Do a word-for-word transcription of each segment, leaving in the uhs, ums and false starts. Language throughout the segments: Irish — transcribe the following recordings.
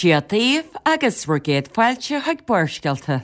Dia daoibh agus bhur gcéad fáilte chuig Barrscéalta.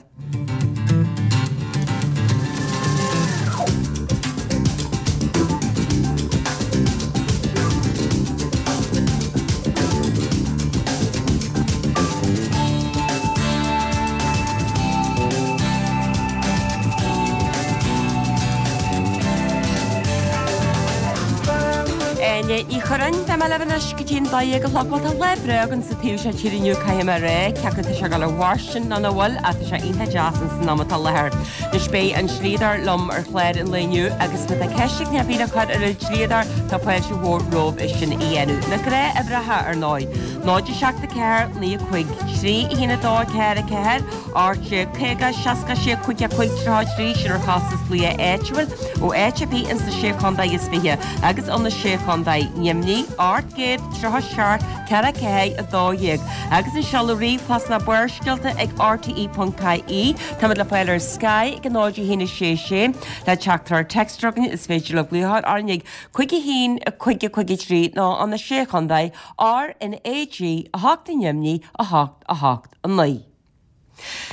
Áine Ní Churráin, beidh mé libh anois go dtí an dó dhéag a chlog. Bhuel, tá lá breá againn sa taobh seo tíre inniu, caithfidh mé a rá, cé acu tá sé ag dul i bhfáistin nó nach bhfuil, ach tá sé iontach deas ins an am atá i láthair. Anois beidh an dlíodóir liom ar chlár an lae inniu agus má tá ceist ag duine ar bith le cur ar an dlíodóir, tá fáilte mhór romhaibh é sin a dhéanamh. Na gnáthuimhreacha, ar ndóigh, náid a seacht a ceathair, naoi a cúig, trí a haon a dó a ceathair a ceathair, ocht déag caoga, seasca sé, cúig a cúig, tríocha a trí, sin ar chostas glaoch áitiúil ó áit ar bith ins na Sé Chontae is Fiche agus ó na Sé Chontae, Nimhní, ocht gcéad tríocha seacht, ceathair ceathair a dó dhéag, agus an seoladh ríomhphost ná Barrscéalta ag rte ponc ie. Táimid le fáil ar Sky ag a náid a haon a sé sé. Le teachtaireacht téacs a chugainn is féidir libh glaoch orainn ag cúig a haon a cúig a cúig a trí nó ó na Sé Chontae, R N A G a hocht i nDoimní a hocht a hocht a naoi.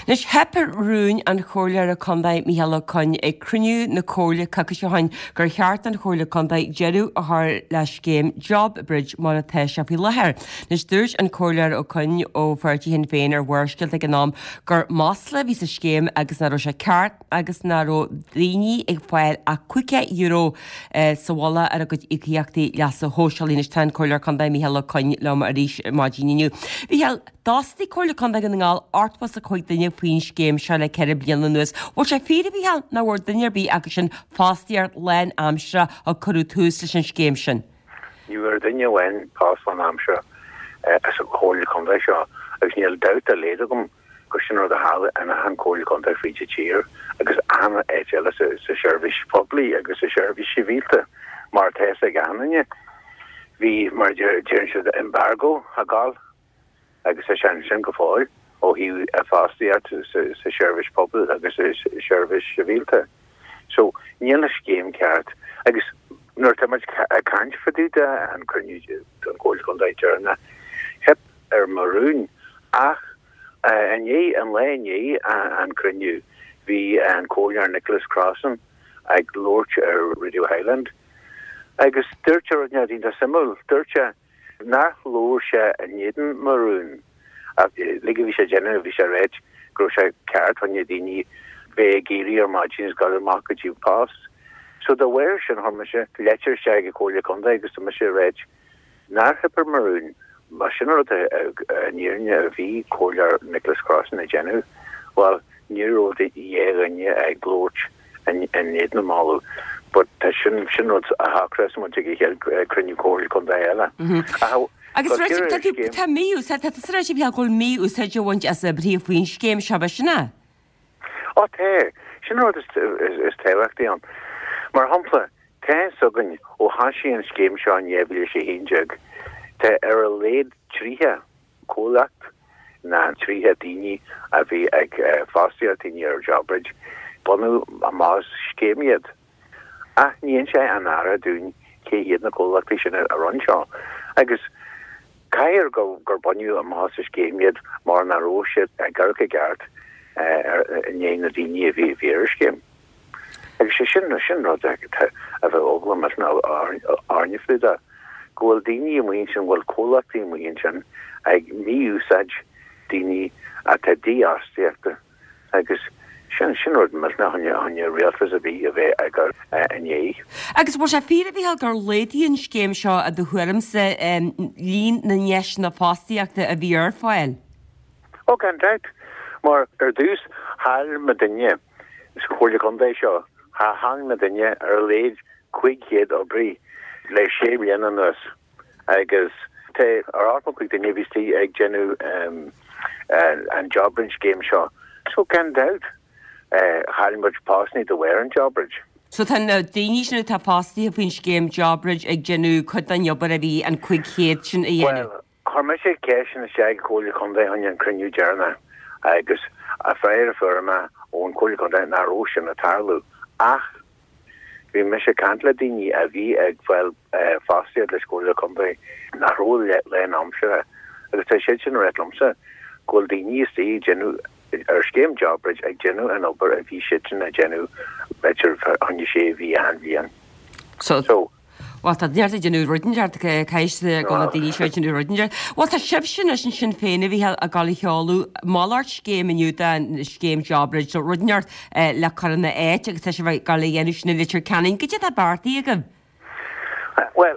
Anois, theip ar rún an Chomhairleora Contae Micheál Ó Coinn ag cruinniú na Comhairle coicís ó shin gur cheart don Chomhairle Contae deireadh a chur le scéim JobBridge mar atá sé faoi láthair. Anois, dúirt an Comhairleoir Ó Coinn ó pháirtí Shinn Féin ar Bharrscéalta ag an am gur masla a bhí sa scéim agus nach raibh sé ceart agus nach raibh daoine ag fáil ach caoga euro sa mhullach ar a gcuid íocaíochtaí leasa shóisialaigh. Anois, tá an Comhairleoir Contae Micheál Ó Coinn liom arís maidin inniu. Mhichíl, D'fhostaigh Comhairle Contae Dhún na nGall ochtó is a cúig duine faoin scéim seo le ceithre bliana anuas. Bhfuil sé fíor, a Mhichíl, nach bhfuair duine ar bith acu sin fostaíocht lán-aimsire ó cuireadh tús leis an scéim sin? Ní bhfuair duine amháin post lán-aimsire sa Chomhairle Contae seo agus níl dabht dá laghad agam gur sin rud a tharla in achan Chomhairle Contae fríd an tír agus achan áit eile sa seirbhís phoiblí agus sa seirbhís sibhialta mar atá fhios ag achan duine. Bhí, mar a deireann siad, embargo ag gabháil. agus tá sé ansin go fóill ó thaobh fostaíocht sa seirbhís pobail agus sa seirbhís sibhialta. So, níl an scéim ceart. Agus nuair atá muid ag caint fá dtaobh de an cruinniú don Chomhairle Contae deireanach, theip ar mo rún ach inné, an lá i ndiaidh an cruinniú, bhí an Comhairleoir Nicholas Crossan ag labhairt ar Radio Highland agus dúirt sé rud iontach suimiúil, dúirt sé, Nár labhair sé in éadan mo rún ach uilig a bhí sé ag déanamh bhí sé ag ráit go raibh sé ceart fá choinne daoine bheith ag éirí ar maidin agus dul amach go dtí post. So dá bharr sin chuir mise leitir isteach ag an Comhairle Contae agus tá mise ag ráit nár theip ar mo rún. Más sin an rud i ndáiríre a bhí Comhairleoir Nicholas Crossan ag déanamh, bhuel ní raibh dhá dhuine ag labhairt in éadan an moladh. But tá sin sin rud a shocrós muid ag an chéad cruinniú Comhairle Contae eile. Ach Agus tá tá tú tá mí-úsáid tá tusa ag ráit go bhfuil mí-úsáid á bhaint as oibrithe faoin scéim seo ab sin é? Ó tá, sin rud is is tábhachtaí ann. Mar shampla, tá fhios againn ó thoisigh an scéim seo in dhá mhíle is a haon déag, tá ar a laghad tríocha comhlacht ná tríocha daoine a bhí ag fostaíocht daoine ar JobBridge, baineadh amach as scéim iad. Ach ní inseoidh an Aire dúinn cé hiad na comhlachtaí sin a rinne seo. Agus caithfidh gur baineadh amach as an scéim iad mar nach raibh siad ag amharc i gceart i ndiaidh na daoine a bhí ar an scéim. Agus sé sin sin rud a bheadh eagla millteanach orainne faoi de, go bhfuil daoine amuigh ansin, go bhfuil comhlachtaí amuigh ansin ag mí-úsáid daoine atá dífhostaíochta agus sin sin rud millteanach fá choinne rialtas ar bith a bheith ag dul i ndiaidh. Agus bhfuil sé fíor, a Mhichíl, gur laghdaigh an scéim seo i do thuairimse líon na ndeiseanna fostaíochta a bhí ar fáil? Ó gan dabht, mar ar dtús chaill muidinne sa Chomhairle Contae seo, chaill muidinne ar a laghad cúig chéad oibrí le sé bliana anuas agus tá ar ochtó cúig duine a bhí istigh ag déanamh an JobBridge scéim seo. So gan dabht chaill muid postanna de bharr an JobBridge. So tá na daoine sin atá fostaithe faoin scéim JobBridge ag déanamh cuid den obair a bhí an cúig chéad sin a dhéanamh. Bhuel, Chuir mise ceist sin isteach ag Comhairle Contae fá choinne an cruinniú deireanach agus an freagra a fuair mé ón Chomhairle Contae nach raibh sin ag tarlú ach bhí mise ag caint le daoine a bhí ag fáil fostaíocht leis Comhairle Contae nach raibh lán aimsire Agus tá siad sin ag ráit liomsa go bhfuil daoine istigh ag déanamh ar scéim JobBridge ag déanamh an obair a bhí siadsan ag déanamh b'fhéidir fá choinne sé mhí achan bhliain. So, Bhuel, tá neart ag déanamh rud inteacht, caithfidh go bhfuil na daoine seo ag déanamh rud inteacht. Bhuel, tá sibhse anois ansin féin a Mhícheáil ag dul a sheoladh malairt scéim inniu den scéim JobBridge, so rud inteacht le cur ina áit agus tá sibh ag dul a dhéanamh sin i Leitir Ceanainn. Goidé atá beartaithe agaibh? Bhuel,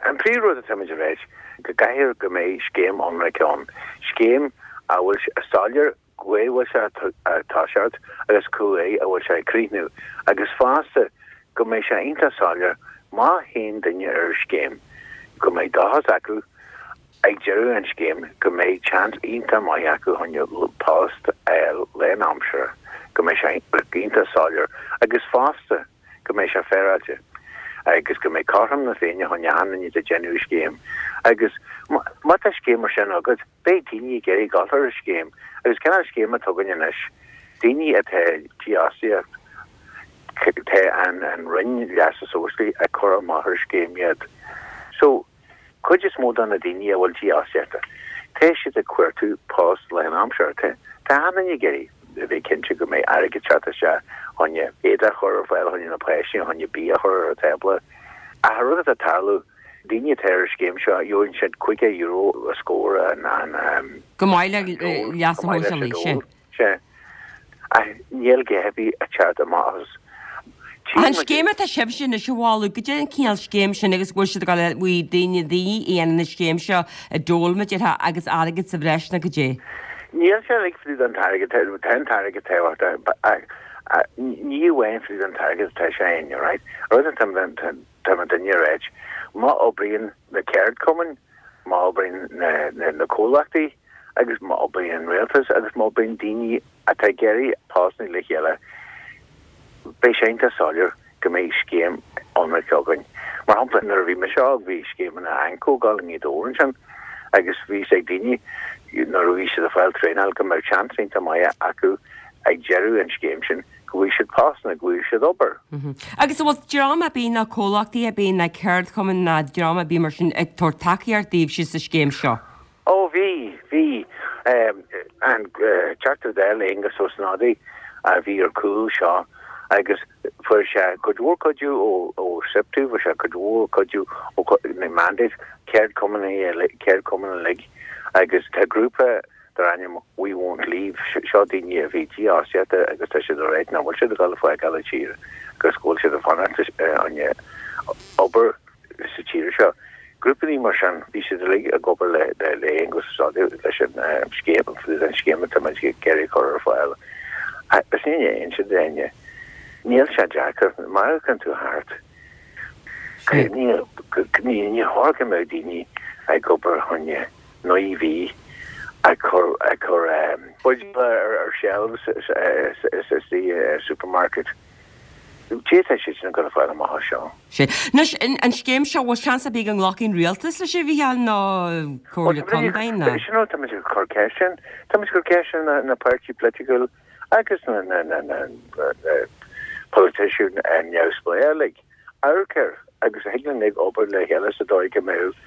an príomhrud atá muid a ráit, go gcaithfidh go mbeidh scéim ionraic ann, scéim a bhfuil soiléir cá bhfuil sé ag toiseacht agus cá a bhfuil sé ag críochnú agus fosta go mbeidh sé iontach soiléir má théann duine ar an scéim go mbeidh dóchas acu ag deireadh an scéim go mbeidh seans iontach maith acu chun post a fháil lánaimseartha, go mbeidh sé iontach soiléir agus fosta go mbeidh sé féaráilte agus go mbeidh cothrom na Féinne chun achan duine atá ag déanamh an scéim agus má tá scéim mar sin agat beidh daoine ag iarraidh dul ar an scéim agus cineál scéim atá againn anois, daoine atá dífhostaíocht. Tá an Roinn Leasa Sóisialaigh ag cur amach ar scéim iad. So, cuid is mó de na daoine a bhfuil dífhostaíochta, tá siad ag cuartú post lánaimseartha. Tá achan duine ag iarraidh a bheith cinnte go mbeidh airgead ag teacht isteach chun éadaí a chur ar fáil chun na páistí, chun bia a chur ar an tábla. Ach an rud atá ag tarlú, daoine atá ar an scéim seo, gheobhaidh siad caoga euro a scór an, an, Go maith le leasa shóisialaigh, sea. Sea. Ach níl a dhath ar bith ag teacht amach as. An scéim atá sibhse anois a mholadh, goidé an cineál scéim sin agus go bhfuil siad ag dul a bhí daoine daoine a dhéanann an scéim seo a dól mar a déarfá agus airgead sa bhreis nó goidé? Níl sé uilig fá dtaobh den t-airgead, tá an t-airgead tábhachtach ach ní amháin fá dtaobh den t-airgead atá sé ann, right? Rud atá tá muidinne a ráit, má oibríonn na ceardchumainn, má oibríonn na comhlachtaí agus má oibríonn an rialtas agus má oibríonn daoine atá ag iarraidh postanna le chéile, beidh sé iontach soiléir go mbeidh scéim ionraic againn. Mar shampla, nuair a bhí mise óg bhí scéimeanna AnCO ag dul i nGaoth Dobhair ansin agus bhí a fhios ag daoine nuair a bhí siad ag fáil traenáil go mbeadh seans iontach maith acu ag deireadh an scéim sin go bhfaighidh siad postanna, go bhfaighidh siad obair. Agus an bhfuil dream ar bith ná comhlachtaí ar bith ná ceardchumainn ná dream ar bith mar sin ag tabhairt tacaíocht daoibhse sa scéim seo? Ó bhí, bhí. An Teachta Dála Aengus Ó Snodaigh a bhí ar chúl seo agus fuair sé cuid mhór cuidiú ó SIPTU, fuair sé cuid mhór cuidiú ó na Mandate, ceardchumainn ceardchumainn uilig agus tá grúpa dar ainm We Won't Leave, seo daoine a bhí dífhostaíochta agus tá siad ag ráit nach bhfuil siad ag dul ag fágáil an tír agus go bhfuil siad ag fanacht obair sa tír seo. Grúpaí mar sin, bhí siad uilig ag obair le le Aengus Ó Snodaigh leis an scéim, an scéim atá muid ag iarraidh a chur ar fáil. Agus ní inse d'éinne, níl sé deacair, má amharcann tú thart, ní ní chóir go mbeadh daoine ag obair chun naoi mhí ag cur ag cur buidéal ar shelves sa supermarket. Cé tá siad sin ag dul a fáil amach as seo? Sea. Anois, an scéim seo, bhfuil seans ar bith go nglacfaidh an rialtas leis, a Mhícheáil, nó Comhairle Contae, nó? Sin rud, tá muid ag cur ceist sin. Tá muid ag cur ceist ar na páirtí polaitiúil agus na politician neamhspleách uilig. Amharc air agus thig linn ag obair le chéile sa dóigh go mbeadh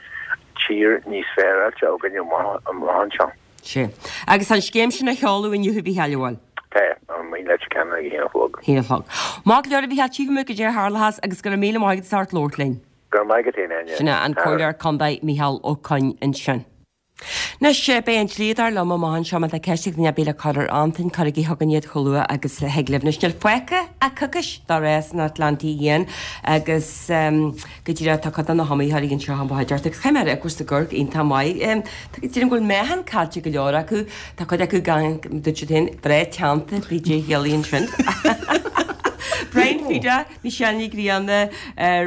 tír níos féaráilte againn amach anseo. Sea. Agus tá an scéim sin á sheoladh inniu, a Mhícheáil, an bhfuil? Tá, amuigh i Leitir Ceanainn ag a haon a chlog. Haon a chlog. Maith go leor, a Mhícheáil, tchífidh muid goidé a tharlóchas agus go raibh míle maith agat as ucht labhairt linn. Go raibh maith agat féin, Áine. Sin é an Comhairleoir Contae Mícheál Ó Coinn ansin. Anois, beidh an dlíodóir liom amach anseo má tá ceist ag duine ar bith le cur ar Antain, cuirigí chugainn iad chomh luath agus a thig libh. Anois, níl fágtha ach coicís do rás an Atlantaigh Fhiáin agus go díreach tá cuid de na hiomaitheoirí anseo i mo chuideachta agus caithfidh mé a rá go bhfuil siad ag amharc iontach maith. Déarfainn go bhfuil meáchan caillte ag go leor acu. Tá cuid acu gan, dúirt siad féin, breá teannta, PJ Healy ansin. Brian Fida, Michelle Ní Ghrianna,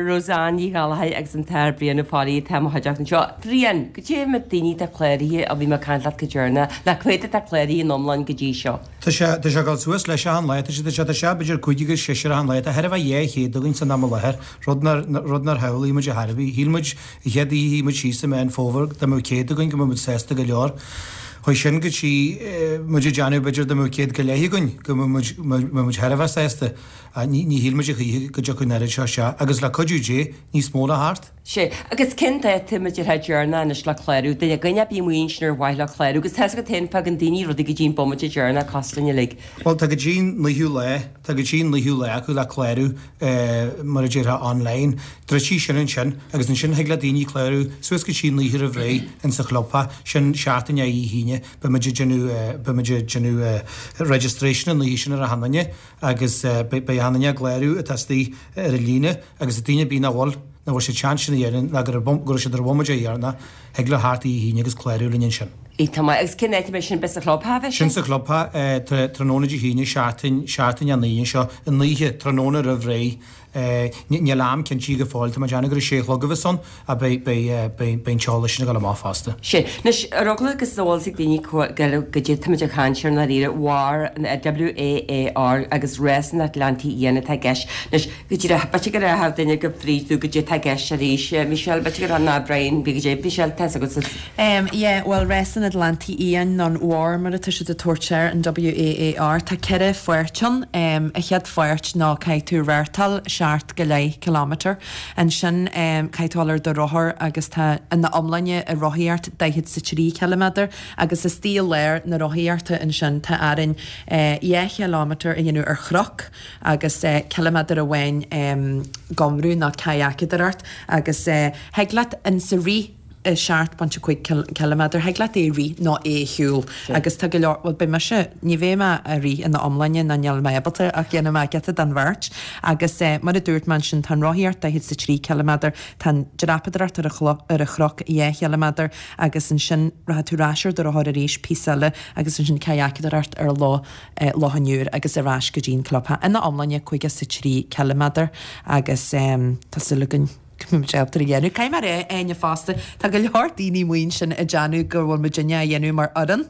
Roseanne Ní Ghallchóir agus an tAthair Brian Ó Fearraigh atá i mo chuideachta anseo. Brian, goidé na daoine atá cláraithe ó bhí mé ag caint leat go deireanach, nó cá mhéad atá cláraithe in iomlán go dtí seo? Tá sé, tá sé ag dul suas leis achan lá, tá sé, tá sé, tá sé b'fhéidir cúig agus seisear achan lá, tá chóir a bheith dhá chéad againn san am i láthair, rud nár, rud nár shamhlaigh muid ar chor ar bith. Shíl muid, an chéad oíche a shuigh muid síos i Meán Fómhair, dá mbeadh céad againn go mbeadh muid sásta go leor. Chuaigh sin go dtí muid ag déanamh b'fhéidir dá mbeadh céad go leith againn go mbeadh muid thar a bheith sásta. Ní shíl muid a choíche go dtiocfadh an oiread seo isteach agus le cuidiú Dé níos mó le theacht. Sea, agus cén dáta muid ar deireanach anois le clárú? Duine duine ar bith amuigh ansin ar mhaith leo clárú agus tá 'fhios agat féin fágann daoine rudaí go dtí an bomaite deireanach cosúil linn uilig. Bhuel tá go dtí an naoú lá, tá go dtí an naoú lá acu le clárú mar a déarfá online. Druidfidh sin ansin agus ansin thig le daoine clárú suas go dtí an oíche roimh ré insa chlubtheach, sin seachtain ó Dé hAoine, beidh muid ag déanamh, beidh muid ag déanamh registration an oíche sin ar achan duine agus beidh achan duine á gclárú atá istigh ar an líne agus daoine ar bith nach bhfuil, nach bhfuil siad seans sin a dhéanamh ná go raibh go raibh siad ar an bhomaite dheireanach, thig leo theacht Dé hAoine agus clárú linn ansin. Iontach maith. Agus cén áit a mbeidh sin? Beidh sa chlubtheach a bheidh sin? Sin sa chlubtheach tráthnóna Dé hAoine, seachtain, seachtain ón Aoine seo, an oíche, tráthnóna roimh ré. Níl am cinntithe go fóill, tá mé ag déanamh gur a sé a chlog a bheas ann ach beidh, beidh, beidh, beidh an t-eolas sin ag dul amach fosta. Sea. Anois, ar eagla agus an bhfuil 'fhios ag daoine goidé táimid ag caint air i ndáiríre, WAAR, W A A R, agus Rás an Atlantaigh Fhiáin atá i gceist. Anois, go díreach, b'fhéidir go rachadh duine go fríd tú goidé atá i gceist arís. Michelle, b'fhéidir go ná Brian, bhí goidé, Michelle, tá 'fhios agatsa. Yeah, bhuel, Rás an Atlantaigh Fhiáin nó an WAAR mar atá siad ag tabhairt air, an W A A R, tá ceithre pháirt ann. An chéad pháirt ná caithfidh tú rártáil seacht go leith kilometre. Ansin caithfidh tú dul ar do rothar agus tá ina iomláine i rothaíocht daichead 's a trí ciliméadar agus istigh i lár na rothaíochta ansin tá orainn dhá chileámeter a dhéanamh ar chnoc agus ciliméadar amháin gomradh nó cadhacadóireacht agus thig leat insa rith seacht bpointe cúig ciliméadar, thig leat é a rith nó é a shiúl agus tá go leor, bhuel beidh mise, ní bheidh mé a rith ina iomláine ná níl mé ábalta ach dhéanfaidh mé giota den bheart agus mar a dúirt mé ansin tá an rothaíocht daichead 's a trí ciliméadar, tá an dreapadóireacht ar ar an chnoc dhá chiliméadar agus ansin rachaidh tú ar ais ar do rothar arís píosa eile agus ansin cadhacadóireacht ar Loch Loch an Iúir agus ar ais go dtí an clubtheach. Ina iomláine caoga 's a trí ciliméadar agus tá súil againn. go mbeidh muid ábalta a dhéanamh. Caithfidh mé a rá, Áine, fosta, tá go leor daoine amuigh ansin ag déanamh go bhfuil muidinne á dhéanamh mar fhoireann,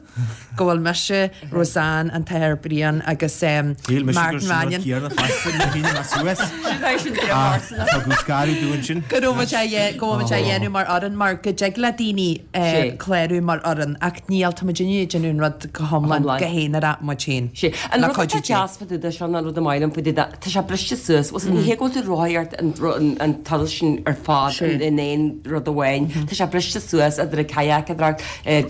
go bhfuil mise, Roseanne, an tAthair Brian agus Shíl mise gur Martin sin rud Mannion. céanna fosta nuair a shín mé suas. Sin é sin Ah, tugadh scaradh dúinn sin. Go raibh muid á dhé- go bhfuil muid á dhéanamh mar fhoireann mar go dtig le daoine Sé. clárú mar fhoireann ach níl, tá muidinne ag déanamh an rud go hiomlán Hiomlán. go haonarach muid féin. Sé. An Le rud atá cuidiú Dé. deas fá dtaobh de seo ná an rud a maith liom fá dtaobh de, tá sé briste suas. Bhuel, ní hé go bhfuil tú ag rothaíocht an, an, an turas sin ar fad in aon rud amháin. Tá sé briste suas idir an cadhacadóireacht,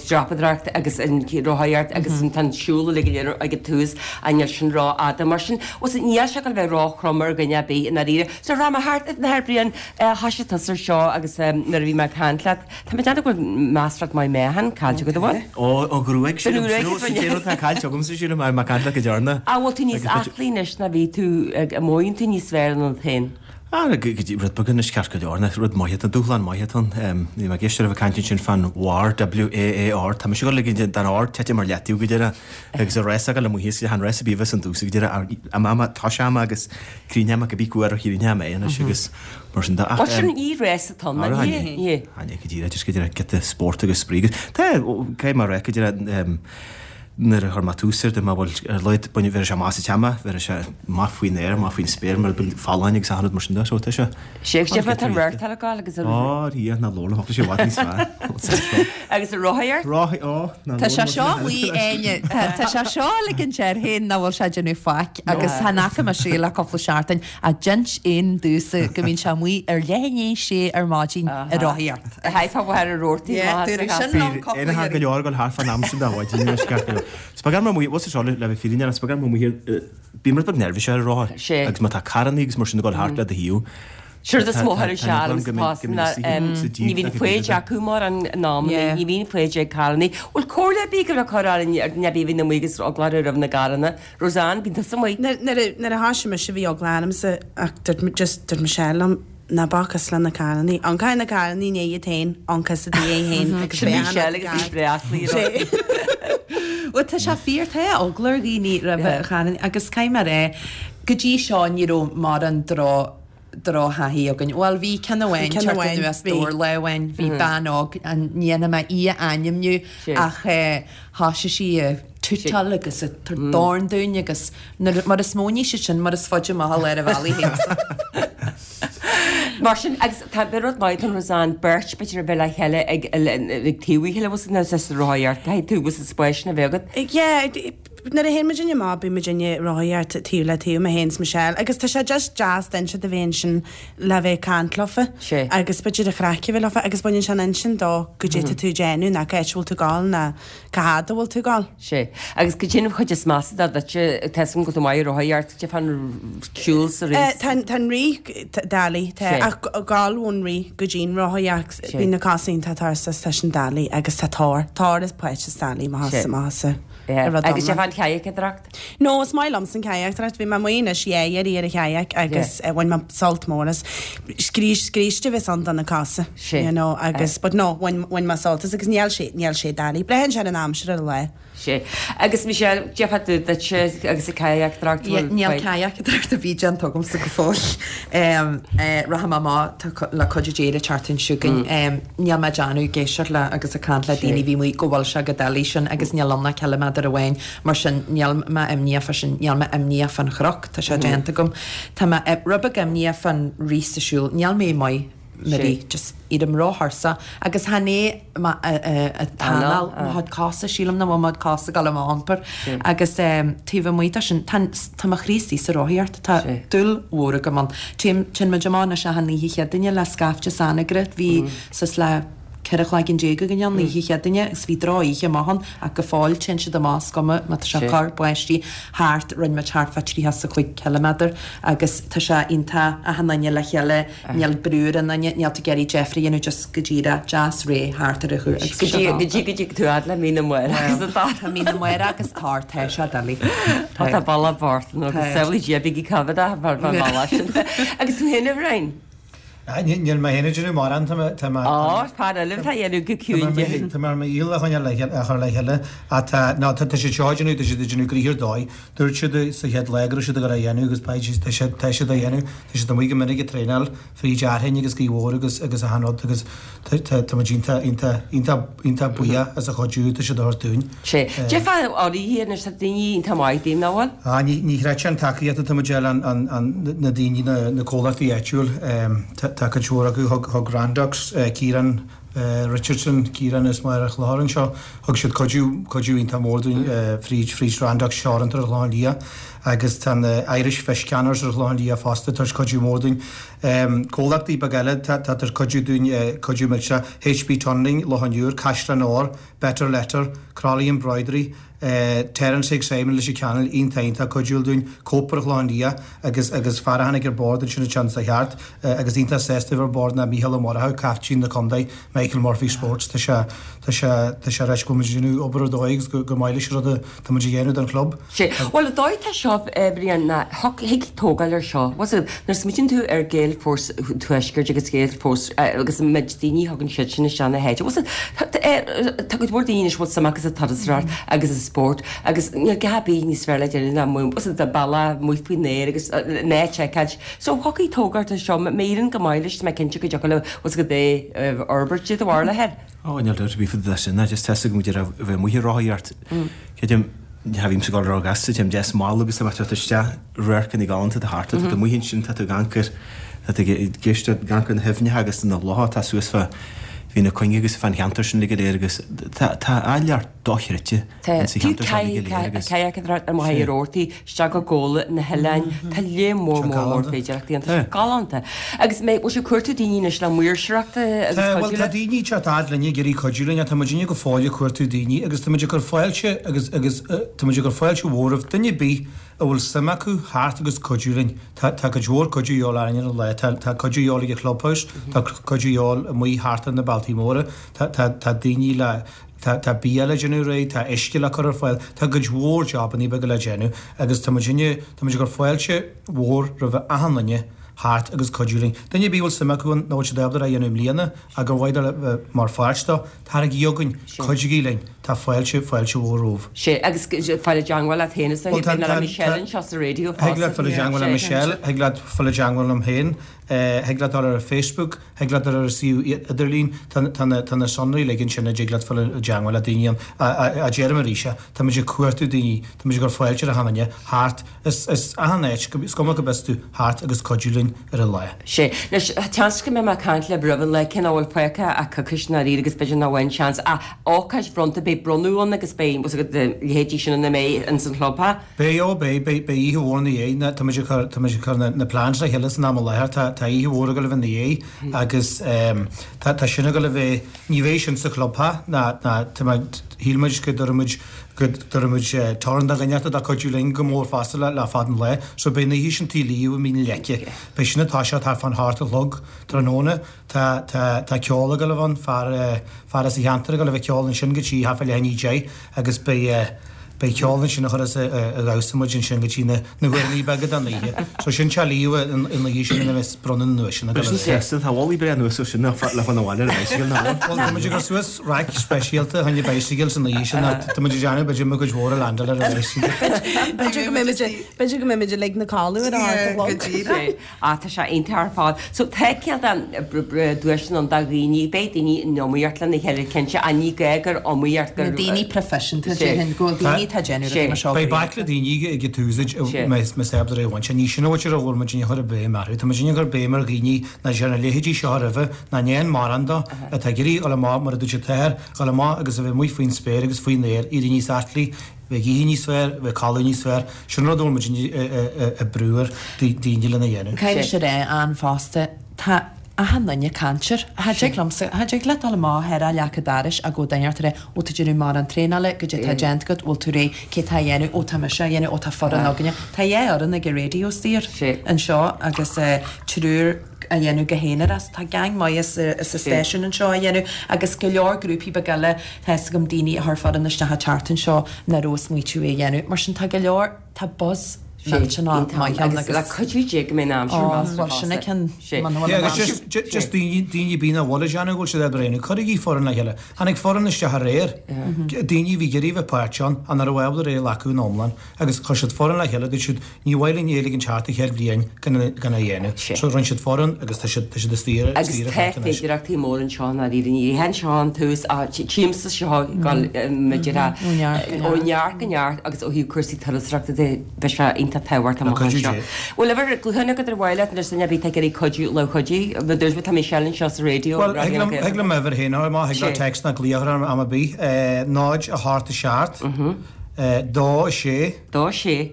dreapadóireacht agus an rothaíocht agus an tá an siúl uilig go léir ag an tús ach níl sin rófhada. Mar sin, bhuel, níl sé ag gabháil a bheith róthrom ar dhuine ar bith i ndáiríre. So rachaidh mé thart a Athair Brian, thoisigh tusa ar seo agus nuair a bhí mé ag caint leat, tá mé ag déanamh go bhfuil measartha maith meáchan caillte agat, an bhfuil? Ó, an ghruaig sin, An ghruaig, sin an rud atá caillte agamsa, sílim, mar mé ag caint leat go deireanach. An bhfuil tú níos aclaí anois ná bhí tú, an mothaíonn tú níos fearr ionat féin? Ah, go dtí rud beag anois ceart go leor, nach rud maith atá, dúshlán maith atá ann. Bhí mé ag éisteacht libh ag caint ansin fán WAAR, W A A R, tá mise ag dul ag den R tite mar leataobh go deireadh agus an rás ag dul amuigh thíos, chan rás ar bith a bheas an dtús go deireadh, am ama, tois ama agus críne ama, cibé cú ar a chríne ama é anois agus mar sin de. Ach, Bhuel sin ní rás atá ann, Ara, ní hea, ní hea. Chan é go díreach, just go deireadh giota spórt agus spraoi agus tá, caithfidh mé a rá go deireadh, Nuair a chuir mé tús air, dúirt mé, bhuel, ar a laghad, baineadh, bheir sé amach as an téama, bheir sé amach faoin aer, amach faoin spéir, mar bíonn folláin agus achan rud mar sin de, so tá sé. Sé agus deirfear tá an rártáil ag gabháil agus an. Ó, Dhia, ná labhair liom, tá sé i bhfad níos fearr. Agus an rothaíocht? Rothaí, ó, ná Tá labhair sé liom. seo amuigh, Áine, tá tá sé seo ag ligint air féin nach bhfuil sé ag déanamh faic agus chan fhaca mise é le cúpla seachtain ach d'inis éan domhsa go mbíonn sé amuigh ar leath i ndiaidh a sé ar maidin ag rothaíocht. Chaithfeá bheith ar an rórtaí Yeah, maith dúradh sa sin chas. liom cúpla Aon go iarraidh. leor ag dul thart fán am sin de mhaidin anois gach uile. Is beag orm amuigh, bhfuil seo le bheith fírinneach, is beag orm amuigh thiar, bím rud beag neirbhíseach ar an rothar. Sé. Agus má tá carrannaí agus mar sin ag dul thart le do thaobh. Séard is mó thar seal agus pás ná ní bhíonn foighid acu mar an am, ní bhíonn foighid ag carrannaí. Bhfuil comhairle ar bith go le cur orainn ar na bhí na amuigh agus eagla orthu roimh na gcarranna? Roseanne, bíonn tusa amuigh. Nuair a thoisigh mise bhí eagla ormsa ach dúirt just dúirt Michelle liom, Ná bac le na carrannaí. Ioncaigh na carrannaí i ndiaidh iad féin, ioncaigh sa diaidh féin agus Sin beidh an Michelle rud agus í ceart. breá aclaí. Bhuel tá sé fíor, tá eagla ar dhaoine roimh charrannaí agus caithfidh mé a rá, go dtí seo ní raibh mórán droch drochthaithí againn. Bhuel bhí ceann amháin Ceann teacht amháin, anuas bhí. dór lá amháin, bhí bean óg, an ní dhéanfaidh mé í a ainmniú ach eh, thoisigh sí ag tútáil agus ag tabhairt dorn dúinn agus nuair, mar is mó ní siad sin mar is faide amach i lár an bhealaigh féin. Mar sin agus tá rud maith an Rosanne beirt b'fhéidir a bheith le chéile ag ag taobh a chéile was na sa rothaíocht caithfidh tú was spéis na bheith agat. Yeah, nuair a théann muidinne amach bíonn muidinne ag rothaíocht taobh le taobh mé féin is Michelle agus tá sé just deas duine a bheith ansin le bheith ag caint leofa Sé. agus b'fhéidir an chraic a bheith leofa agus baineann sé an intinn dó goidé tá tú ag déanamh ná cá háit a bhfuil tú ag gabháil ná cá fhad a bhfuil tú ag gabháil. Sé. Agus goidé an chuid is measa de duitse tá a fhios agam go bhfuil tú maith ag rothaíocht goidé fán siúl sa rith. Tá tá an rith doiligh tá Sé. ach gabháil ón rith go dtí'n rothaíocht Sé. bíonn na cosa iontach tuirseach tá sin doiligh agus tá tor tor is pointe is doiligh má Sé. má Yeah. rud Agus sé iomlán. fán chayacadóireacht? No, is maith liomsa an chayacadóireacht, bhí mé amuigh anois dhá iarraidh ar an kayak agus eh, bhain mé sult mór as. Scríos scríste bheith ann do na cosa, Sé. you know, agus but no, bhain bhain mé sult as agus níl sé níl sé doiligh. Braitheann sé ar an aimsir ar an lá. Sé. Agus Michelle, goidé fá dtaobh duitse agus an chayacadóireacht Yeah, Níl kayak a bhí déanta agamsa go fóill. Rachaidh mé amach tá cu- le cuid déire teartain siúgan. Níl mé déanamh ag éisteacht le agus ag caint le daoine bhí mu go bhfuil sé go doiligh sin agus níl ann ach ciliméadar amháin mar sin níl mé imníoch fá sin níl mé imníoch fán chnoc tá sé déanta agam. Tá mé rud beag imníoch fán rith sa siúl níl mé maith Marie, just éirím róthuirseach agus chan é t'anáil mo chuid cosa sílim nach bhfuil mo chuid cosa ag gabháil á iompar agus taobh amuigh de sin tá tá mo chroí istigh sa rothaíocht tá dúil mhór agam ann. Téann muid amach anois achan oíche Chéadaoine le scaifte san-eagraithe bhí suas le ceithre chloigeann déag againn an oíche Chéadaoine agus bhí drochoíche amach ann ach go fóill téann siad amach is cuma má tá sé cur báistí thart rinne muid thart fá tríocha is a cúig ciliméadar agus tá sé iontach achan duine le chéile níl brú ar an duine níl tú ag iarraidh deifir a dhéanamh just go díreach deas réidh thart ar a chúl agus Go dtí go dtí go dtí tú fhad le Mín na Maoire agus atá. Tá Mín na Maoire agus tar tá sé doiligh. Tá tá balla bort nó agus samhlaigh Dia bígí coimhéad mar mar balla sin. Agus tú féin a Bhriain? Níl mé féin ag déanamh mórán tá mé- tá mé- Á, fear eile atá dhéanamh go ciúin de. Tá mé ar mo dhícheall a choinneáil le chéile- a chur le chéile ach tá ná tá tá siad seo ag déanamh tá siad ag déanamh gnoithe ar dóigh. Dúirt siad sa chéad lá go raibh siad ag dul a dhéanamh agus beidh siad tá siad tá siad á dhéanamh. Tá siad amuigh go minic ag traenáil fríd Fhearthainn agus Gaoth Mhór agus agus achan rud agus tá tá tá muid iontach iontach iontach iontach buíoch as an chuidiú tá siad a thabhairt dúinn. Sé. Goidé fá áirithe anois tá daoine iontach maith daoibh nach bhfuil? Ah, ní ní chreidfeá an tacaíocht atá muid ag fáil an an an na daoine na na comhlachtaí áitiúil um, tá tá cuid mhór acu thug thug Randox uh, Ciarán uh, Richardson Ciarán is Máire Chlár anseo thug siad cuidiú cuidiú iontach mór dúinn uh, fríd fríd Randox Teoranta ar Chlochán Liath agus tá na Irish Fish Canners ar Chlochán Liath fosta tar éis cuidiú mór dúinn. Um, comhlachtaí beaga eile tá tá tar cuidiú dúinn uh, cuidiú millteach HP Tunneling, Loch an Iúir, Caisleán Óir, Better Letter, Crowley Embroidery, uh, Terence Higgs Simon leis an Channel iontach iontach cuidiúil dúinn Cope ar Chlochán Liath agus agus fear a tháinig ar bord ansin an sa cheart uh, agus iontach sásta ar bord ná Micheál Ó Murchú captaen na contae Michael Murphy Sports tá sé tá sé tá sé reis go muid déanamh obair ar dóigh agus go go maith leis rud tá muid a dhéanamh don chlub. Sé. Bhuel, an dóigh tá seo Brian ná thig tógáil ar seo. Was it nuair smaoiníonn tú ar Gaelforce Tuaisceart agus Gaelforce agus an méid daoine thugann siad sin isteach na háite. Was it tá go mhór daoine bhfuil suim acu sa turasóireacht agus sa spórt agus níl a dhath níos fearr le déanamh ná mu was it a balla amuigh faoin aer agus na seiceáil. So thiocfaidh tógáil ar seo méireann go maith leis mé cinnte go dtiocfaidh le was go dé fhorbairt de bharr le head. Ó, níl dabht ar bith faoi sin, just tá go muid a bheith amuigh ag rothaíocht. Creidim cha bhím ag gabháil róghasta, téim deas mall agus tá tú isteach radharcanna galánta de thart, tá tú amuigh ansin, tá tú ag amharc, tá tú ag éisteacht ag amharc na haibhneacha agus na locha tá suas fá bhí na cuing agus fan cheantar sin le go léir agus tá tá áilleacht dochreidte insa cheantar sin le go léir agus Kayak ar maith ortaí isteach go Gabhla na hoileáin Tá lé mór mór mór féidireachtaí an galánta. Agus mé bhfuil sibh ag cuartú daoine anois le maoirseachta agus Tá bhuel cuidiú tá le? daoine teacht fhad linn ag iarraidh cuidiú linn, tá muid go fóill ag cuartú daoine agus tá muid ag cur fáilte agus agus uh, tá muid ag cur fáilte mhór roimh duine ar bith a bhfuil suim acu theacht agus cuidiú linn. Tá tá cuid mhór cuidiú de dhíobháil orainn ar an lá, tá tá cuidiú de dhíobháil ag an clubhouse, tá cuidiú de dhíobháil amuigh thart ar na bealtaí móra, tá tá tá daoine le Tá tá bia le déanamh réidh, tá uisce le cur ar fáil, tá cuid mhór jobanna beaga le déanamh agus tá muid tá muid ag cur fáilte mhór roimh achan duine theacht agus cuidiú linn. Duine ar bith a bhfuil suim acu an nó siad ábalta a dhéanamh i mbliana ag gur mhaith le bheith mar pháirt dó, taraigí chugainn, cuidigí linn. tá fáilte, fáilte mhór romhaibh. Sé, agus fáil i dteangmháil leat féin is Bhuel, tá, le tá, Michelle tá, anseo sa raidió thig leat fosta. fáil i dteangmháil le Sé. Michelle, thig leat fáil i dteangmháil liom féin, thig leat dul ar Facebook, thig leat dul ar an suíomh idirlín, tá, tá na, tá na sonraí uilig ansin a dtig leat fáil i dteangmháil le daoine ann. A, a, a deirim arís é, tá muid ag cuartú daoine, tá muid ag cur fáilte ar achan duine theacht, is, is achan áit, is cuma cá b'as tú, theacht agus cuidiú linn ar an lá. Sé. Anois, seans go mbeidh mé ag caint libh roimh an lá, cé nach bhfuil fágtha ach coicís i ndáiríre agus b'fhéidir nach bhfuil aon seans ach ócáid bhronnta, beidh bronnadh ann agus beidh, bhfuil a fhios agat, leithéidí sin ina mbeidh ins an chlub, ha? Beidh, ó beidh, beidh, beidh oíche mhór ina dhiaidh, na, tá muid ag cur, tá muid ag cur na, na plans le chéile san am i láthair, tá, tá oíche mhór ag dul a bheith ina dhiaidh agus ehm tá, tá sin ag dul a bheith, ní bheidh sin sa chlub, ha, ná, ná, tá muid, shíl muid go dtabharfaidh muid, go dtabharfaidh muid torann do dhuine atá ag cuidiú linn go mór fosta le, le fad an lae, so beidh an oíche sin taobh liath i Mín Leice. Beidh sin ag toiseacht thart fán hocht a chlog tráthnóna. Tá, tá, tá ceol ag dul a bheith ann, fear, fear as an cheantar ag dul a bheith ag ceol ansin go dtí thart fá leath i ndiaidh a deich agus beidh, beidh ceol ansin a chuirfeas ag damhsa muid ansin go dtí na, na huaireanna beaga den oíche. So sin teach liath an, an oíche sin ina mbeidh bronnadh na nduaiseanna ag dul a bheith. Sin tá bholaí breá anuas ó sin le fán abhaile ar an bicycle ná bhfuil? Bhuel, tá muid ag cur suas raic speisialta chun na bicycle san oíche sin ach tá muid ag déanamh b'fhéidir mo chuid mhór a landáil ar an bicycle. B'fhéidir go mbeidh muid b'fhéidir go mbeidh muid uilig na codladh ar a hocht a chlog. Sé. Ah, tá sé iontach ar fad. So tá cineál de duaiseanna ann do dhaoine, beidh daoine in iomaíocht lena chéile cinnte, ach ní gá gur iomaíocht gur Na daoine proifisiúnta, Sé. déarfainn, go bhfuil daoine atá ag déanamh rudaí mar seo Beidh go baicle rialta. daoine ag an tús Sé. más ábalta é a bhaint. Ní sin a bhfuil ar a bhfuil muid ag cur béim orthu. Tá muid ag cur béim ar dhaoine nach ndearna a leithéidí seo roimhe, nach ndéan mórán dó, atá ag iarraidh dul amach mar a dúirt an t-athair, dul amach agus a bheith amuigh faoin spéir agus faoin aer, éirí níos aclaí, bheith ag ithe níos fearr, bheith ag codladh níos fearr. Sin rud a bhfuil muid ag brú ar daoine lena dhéanamh. Caithfidh sé rá an fosta, tá achan duine ag caint air. Cha dtig liomsa, cha dtig leat dul amach ar a leac an dorais ach go duine ort a rá, ó tá déanamh mórán traenála, goidé tá déanta agat, bhfuil tú réidh, cé tá a dhéanamh, ó tá mise á dhéanamh, ó tá foireann againne. Tá dhá fhoireann ag an raidió saor anseo agus triúr a dhéanamh go haonar as. Tá gang maith sa sa stáisiún anseo a dhéanamh agus go leor grúpaí beaga eile, tá fhios agam daoine a chuir foireann isteach an tseachtain seo nach raibh smaoitiú é a dhéanamh. Mar sin tá go leor, tá buzz millteanach maith ann agus le cuidiú Dé go mbeidh an aimsir Ó, measartha bhuel sin fosta. ceann Sé. man Yeah, agus just, just, just daoine, daoine bíonn a bhfuil ag déanamh go bhfuil siad ag breathnú. Cuirigí foireann le chéile. Tháinig foireann isteach aréir. Daoine a bhí ag iarraidh bheith páirteach ann, ach nach raibh ábalta é a ghlacadh in iomlán. Agus chuir siad foireann le chéile, dúirt siad, ní mhaith linn é a ligean thart an chéad bhliain gan é gan é a dhéanamh. Sé. So rinne siad foireann agus tá siad tá siad istigh ar Agus istigh ar tá fad anois. féidearthachtaí mór anseo i ndáiríre. Ní hé anseo an tús ach tímsa seo gal maidir Ó neart go ó neart. neart go neart agus ó thaobh cúrsaí turasóireachta de beidh sé iontach tábhachtach amach cuidiú anseo. Dé. Bhuel ever glúthain agat ar mhaith leat anois duine ar bith ag iarraidh cuidiú le cuidiú, ma dúirt mé tá Michelle anseo sa raidió Well, Raidió thig na liom thig Gaeltachta. liom uimhir féin ar má thig le Sé. text ná glaoch ar am ar bith, eh, náid a hocht a seacht, eh, dó a sé, Dó a sé.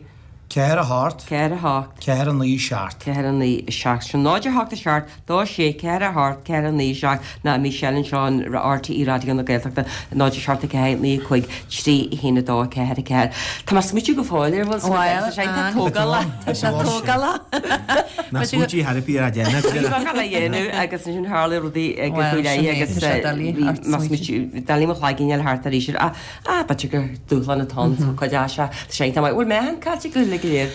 ceathair a hocht, ceathair a hocht, ceathair a naoi seacht. ceathair a naoi seacht. Sin náid a hocht a seacht, dó a sé, ceathair a hocht, ceathair a naoi seacht ná Michelle anseo in RTÉ Raidió na Gaeltachta náid a seacht a ceathair naoi cúig trí a haon a dó ceathair a ceathair. Tá mé ag smaoitiú go fóill ar bhfuil Well, sé iontach an- tógála. Tá sé tógála. Ná smaointí therapy ar a dhéanamh. Bhí a dhéanamh agus ansin tharla rudaí ag Well, faoi leith sin é, agus tá sé doiligh bhí ort má smaoitiú. smaoitiú doiligh mo chloigeann thart arís ar ah b'fhéidir gur dúshlán atá ann so cuid as sé tá sé iontach maith. Bhfuil meán caite go le go léir?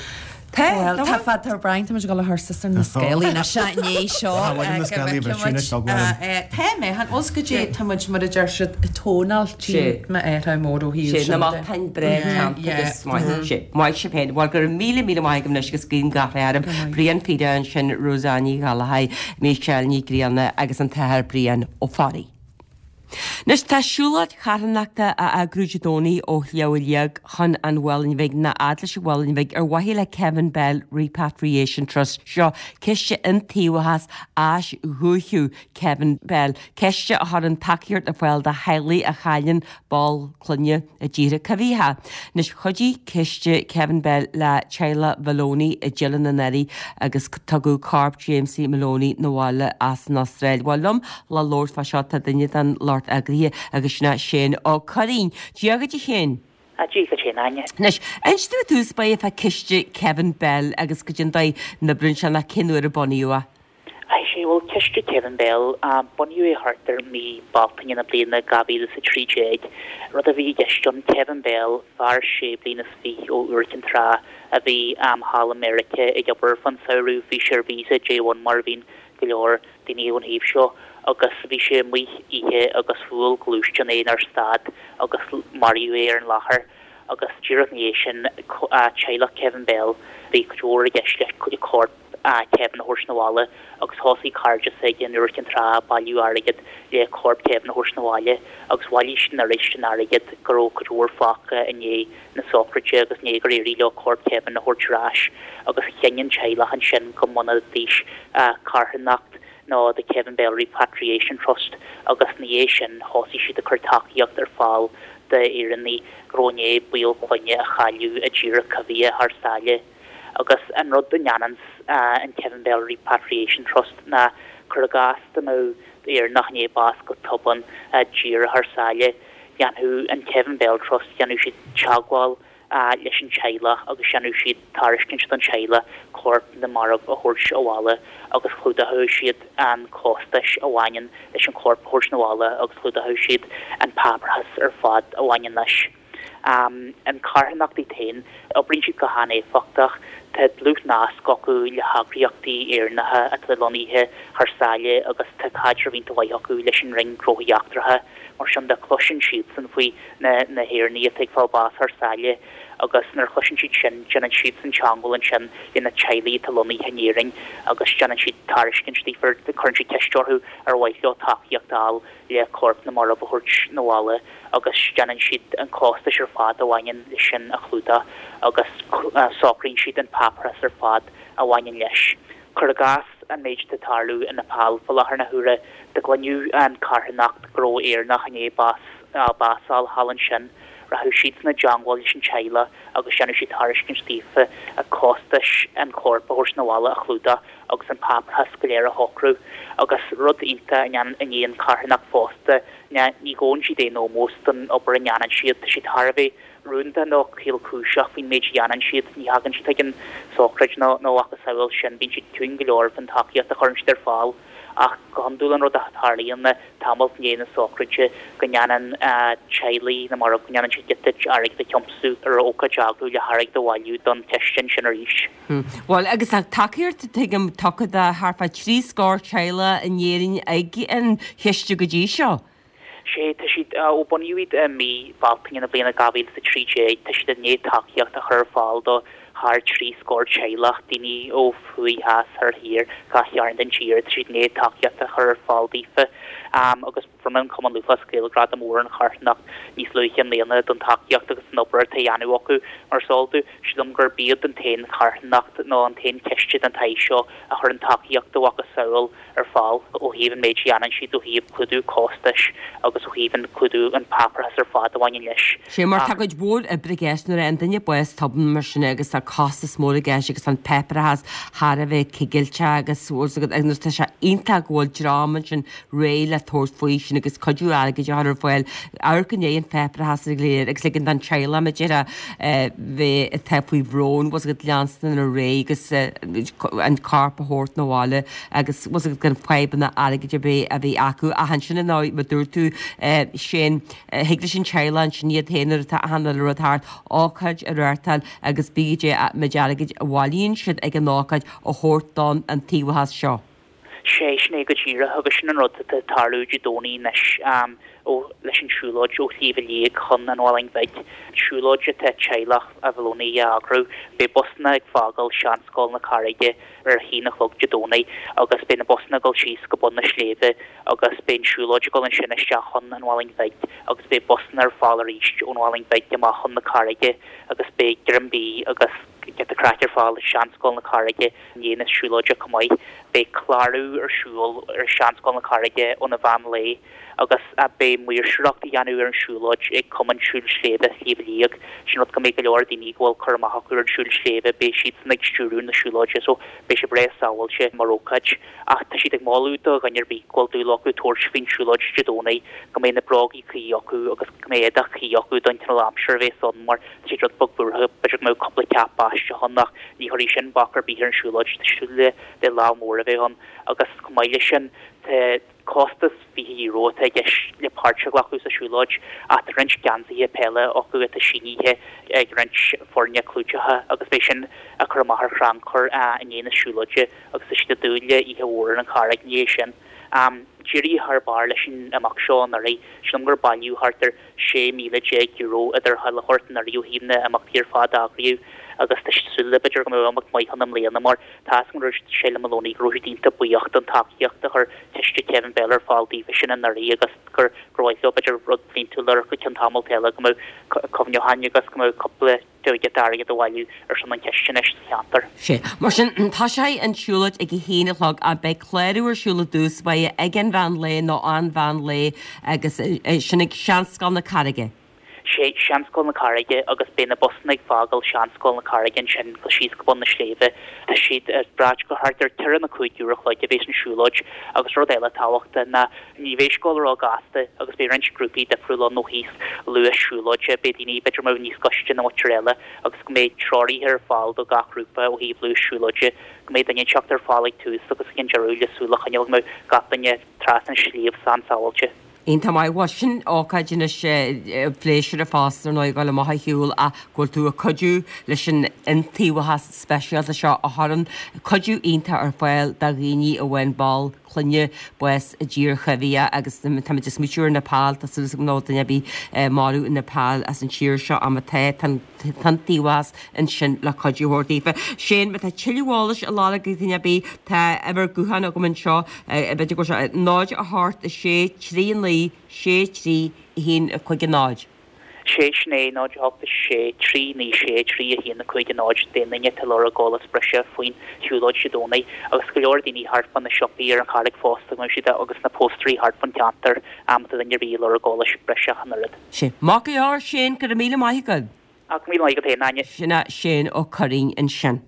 Tá, Well, tá tá fad tá Brian tá muid ag dul a thursa ar na scéalaí na se ní seo Ah, bhfuil na scéalaí bhfuil sin ag tógáil. Tá mé han os go dé tá muid mar a deir siad ag tógáil tí Sé. me é mór ó hí Sé na matáin bre agus maith sé maith sé féin, Bhuel go raibh míle míle maith agaibh anois agus guím gach rath oraibh Brian Fida ansin Rosanne Ní Ghallchóir, Michelle Ní Ghrianna agus an t-athair Brian Ó Fearraigh. Anois tá siúlóid charthanachta á eagrú Dé Domhnaigh ó Shliabh Liag chun an Mhuilinn Bhig ná fhad leis an Mhuileann Bhig ar mhaithe le Kevin Bell Repatriation Trust seo ciste iontaobhas áis dhúichiú Kevin Bell, ciste a chuireann tacaíocht ar fáil do theaghlaigh a chailleann ball clainne i dtíortha coimhthíocha. Anois chuidigh ciste Kevin Bell le teaghlach Maloney i dTeileann anuraidh agus tugadh corp Jamesie Maloney 'na bhaile as an Astráil. Bhuel liom le labhairt fá seo tá duine den lucht eagraithe agus sin é Shane Ó Curraoin. Dia dhuit a Shéain. A Dia dhuit féin Áine. Anois, inis dom i dtús báire fá ciste Kevin Bell agus goidé an dóigh a n-oibríonn sé ná cén uair a bunaíodh é. Ai sé bhfuil ciste Kevin Bell bunaíodh é thart ar mí Bealtaine na bliana dhá mhíle is a trí déag, rud a bhí i gceist ann Kevin Bell fear sé bliana is fiche ó Iúr Cinn Trá a bhí thall i Meiriceá ag obair fan samhradh bhí sé ar visa J one mar a bhíonn go leor daoine ón thaobh seo Agus bhí sé amuigh oíche agus bhuail gluaisteán é nár stad agus maraíodh é ar an láthair. Agus díreach ina dhiaidh sin, teaghlach Kevin Bell, bhí cuid mhór i gceist le corp Kevin a thabhairt 'na bhaile agus thosaigh cairde s'aige in Iúr Cinn Trá ag bailiú airgid le corp Kevin a thabhairt 'na bhaile agus bhailigh siad an oiread sin airgid go raibh cuid mhór fágtha i ndiaidh na sochraide agus i ndiaidh gur éirigh leo corp Kevin a thabhairt ar ais agus chinn an teaghlach ansin go mbunóidís carthanacht nó The Kevin Bell Repatriation Trust agus ina dhiaidh sin thosaigh siad ag cur tacaíocht ar fáil d'Éireannaigh go raibh i ndiaidh baill clainne a chailleadh i dtíortha coimhthíocha thar sáile. Agus an rud a ndéananns an Kevin Bell Repatriation Trust ná cur i gcás dá mbeadh Éireannach i ndiaidh bás go tobann i dtír thar sáile, dhéanfadh an Kevin Bell Trust, dhéanfadh siad teagmháil leis an teaghlach agus dhéanfadh siad tairiscint don teaghlach corp na marbh a thabhairt abhaile agus chlúdódh siad an costais a bhaineann leis an chorp a thabhairt 'na bhaile agus chlúdódh siad an páipéarachas ar fad a bhaineann leis. An charthanacht iad féin, oibríonn siad go han-éifeachtach. Tá dlúthnasc acu le heagraíochtaí Éireannacha atá lonnaithe thar sáile agus tá caidreamh iontach mhaith acu leis an Roinn Gnóthaí Eachtracha. Mar sin de, cloiseann siadsan faoi na hÉireannaigh atá ag fáil bás thar sáile agus nuair a chloiseann siad sin, déanann siadsan teagmháil ansin le na teaghlaigh atá lonnaithe in Éirinn agus déanann siad tairiscint daofa, cuireann siad ceist orthu ar mhaith leo tacaíocht a fháil le corp na marbh a thabhairt 'na bhaile agus déanann siad an costais ar fad a bhaineann leis sin a chlúdach agus socraíonn siad an páipéarachas ar fad a bhaineann leis. Cuir i gcás an méid atá ag tarlú i Nepal fá láthair na huaire, dá gcluinfeadh an carthanacht go raibh Éireannach i ndiaidh bás bás a fháil thall ansin, rachadh siadsan i dteangmháil leis an teaghlach agus dhéanfadh siad tairiscint daofa costais an choirp a thabhairt 'na bhaile a chlúdach agus an páipéarachas go léir a shocrú. Agus rud iontach a dhéanann an charthanacht fosta ná ní ghabhann siad aon ómós don obair a ndéanann siad, tá siad thar a bheith rúnda nó caolchúiseach faoin méid a dhéanann siad, ní thagann siad chuig an sochraid nó a mhacasamhail sin, bíonn siad ciúin go leor faoin tacaíocht a chuireann siad ar fáil. Ach go hiondúil an rud a tharlaíonn ná tamall i ndiaidh na sochraide go ndéanann teaghlaigh na marbh, go ndéanann siad giota airgid a thiomsú ar ócáid a eagrú le hairgead a bhailiú don chistin sin arís. Bhuel, agus tá tacaíocht, tuigim, tugtha do thart fá trí scór teaghlach in Éirinn ag an chiste go dtí seo. Sé, tá siad, ó bunaíodh iad i mí Bealtaine na bliana dhá mhíle is a trí déag, tá siad i ndiaidh tacaíocht a chur ar fáil do thar trí scór teaghlach, daoine ó thuaidh, theas, thoir, thiar, gach cearn den tír, tá siad i ndiaidh tacaíocht a chur ar fáil daofa. Agus bhronn an Cumann Lúthchleas Gael gradam mór ar an charthanacht níos luaithe i mbliana don tacaíocht agus don obair atá á dhéanamh acu. Mar is eol duit, sílim gurb iad an t-aon charthanacht nó an t-aon chiste den tsaghas seo a chuireann tacaíocht dá mhacasamhail ar fáil ó thaobh an méid a dhéanann siad ó thaobh clúdú costais agus ó thaobh an clúdú an páipéarachas ar fad a bhaineann leis. Sé mar tá cuid mhór oibre i gceist nuair a fhaigheann duine bás tobann mar sin agus tá costas mór i gceist agus tá an páipéarachas thar a bheith cigilteach agus agus tá sé iontach go bhfuil dream ansin réidh le tabhairt faoi sin agus cuidiú airgid a chur ar fáil amharc i ndiaidh an pháipéarachas go léir agus ligean don teaghlach mar a déarfá bheith atá faoi bhrón bhfuil a fhios agat leanstan ar aghaidh agus an corp a thabhairt 'na bhaile agus bhfuil a fhios agat gan fadhbanna airgid ar bith a bheith acu ach ansin ar ndóigh mar dúirt tú Shane thig leis an teaghlach ansin iad féin nuair atá achan uile rud thart ócáid a reáchtáil agus b'fhéidir an méid airgid a bhailíonn siad ag an ócáid a thabhairt don iontaobhas seo. Sé, sin é go díreach agus sin an rud atá ag tarlú Dé Domhnaigh anois ó leis an siúlóid ó Shliabh Liag chun an Mhallaing Bhig. Siúlóid atá teaghlach a Mholoney a eagrú. Beidh busanna ag fágáil Seanscoil na Carraige ar a haon a chlog Dé Domhnaigh agus beidh na busanna ag dul síos go bun na sléibhe agus beidh an siúlóid ag dul ansin isteach chun an Mhallaing Bhig agus beidh busanna ar fáil arís ón Mhallaing Bhig amach chun na Carraige agus beidh greim bídh agus giota craic ar fáil i Seanscoil na Carraige i ndiaidh na siúlóide chomh maith. Beidh clárú ar siúl ar Seanscoil na Carraige óna mheán lae agus beidh maoirseoireacht á dhéanamh ar an siúlóid ag Cumann Siúil Sléibhe Shliabh Liag. Sin rud go mbeidh go leor daoine go bhfuil cur amach acu ar an siúl sléibhe, beidh siadsan ag stiúradh na siúlóide so beidh sé breá sábháilte mar ócáid. Ach tá siad ag moladh do dhuine ar bith go bhfuil dúil acu tabhairt faoin siúlóid Dé Domhnaigh go mbeidh na brógaí cuí acu agus go mbeidh éadach cuí acu don cineál aimsire a bheas ann mar tá siad rud beag buartha b'fhéidir go mbeadh cúpla ceap báisteach ann ach ní chuirfidh sin bac ar bith ar an siúlóid, tá súil le le lá mór a bheith ann agus chomh maith leis sin tá costas fiche euro atá i gceist le páirt a ghlacadh sa siúlóid ach tá roinnt geansaithe peile acu atá sínithe ag roinnt foirne clúiteacha agus beidh sin á cur amach ar chrannchur i ndiaidh na siúlóide agus tá siad ag dúil le oíche mhór ar an Charraig i ndiaidh sin. D'éirigh thar barr leis an imeacht seo anuraidh, sílim gur bailíodh thart ar sé míle déag euro idir chuile shórt anuraidh ó thaobh na n-imeachtaí ar fad a eagraíodh agus tá súil le b'fhéidir go mbeadh imeacht maith ann i mbliana mar tá a fhios agam go raibh Sheila Moloney go raibh siad iontach buíoch don tacaíocht a chuir Ciste Kevin Bell ar fáil daofa sin anuraidh agus gur gur mhaith leo b'fhéidir rud bliantúil ar go ceann tamalt eile go mbeadh cuimhneacháin agus go mbeadh cúpla giota airgid a bhailiú ar son an chiste anois sa cheantar. Sea. Mar sin, tosóidh an tsiúlóid ag a haon a chlog ach beidh clárú ar siúl i dtús báire ag an mheán lae nó an mheán lae agus sin ag Seanscoil na Carraige. Sea, Seanscoil na Carraige agus beidh na busanna ag fágáil Seanscoil na Carraige ansin go síos go bun na sléibhe. Tá siad ag brath gur thart ar ceithre nó cúig uair a chloig a bheas an siúlóid agus rud eile tábhachtach ná ní bheidh sé ag gabháil ró-ghasta agus beidh roinnt grúpaí difriúla ann ó thaobh luas siúlóide, beidh daoine b'fhéidir a mbeadh níos gaiste ná muintir eile agus go mbeidh treoraithe ar fáil do gach grúpa ó thaobh luas siúlóide, go mbeidh duine inteacht ar fáil ag tús agus ag an deireadh le súil a choinneáil go mbeidh gach duine trasna an sliabh sán sábháilte. Iontach maith. Bhuel, sin ócáid anois pléisiúrtha fosta ar ndóigh ag dul amach ar shiúl ach go bhfuil tú ag cuidiú leis an iontaobhas speisialta seo a chuireann cuidiú iontach ar fáil do dhaoine a bhain ball clainne bás i dtír choimhthíoch agus táimid ag smaoitiú ar Nepal, tá súil agam nach bhfuil duine ar bith marbh i Nepal as an tír seo ach má tá, tá an t-iontaobhas ansin le cuidiú a thabhairt daofa. Shane, má tá tuilleadh eolais á lorg ag duine ar bith, tá uimhir gutháin agam anseo, b'fhéidir go bhfuil sé náid a hocht a sé trí naoi sé trí a haon a cúig a náid. Sé sin é, náid a hocht a sé trí naoi sé trí a haon a cúig a náid d'aon duine atá ag lorg eolas breise faoin tsiúlóid Dé Domhnaigh agus go leor daoine thart fá na siopaí ar an Charraig fosta go mbeidh siad agus na póstairí thart fán cheantar má tá duine ar bith ag lorg eolais breise ach an oiread. Sé. Maith go leor, Shane, go raibh míle maith agat. Ach míle maith agat féin, Áine. Sin é Shane Ó Curraoin ansin.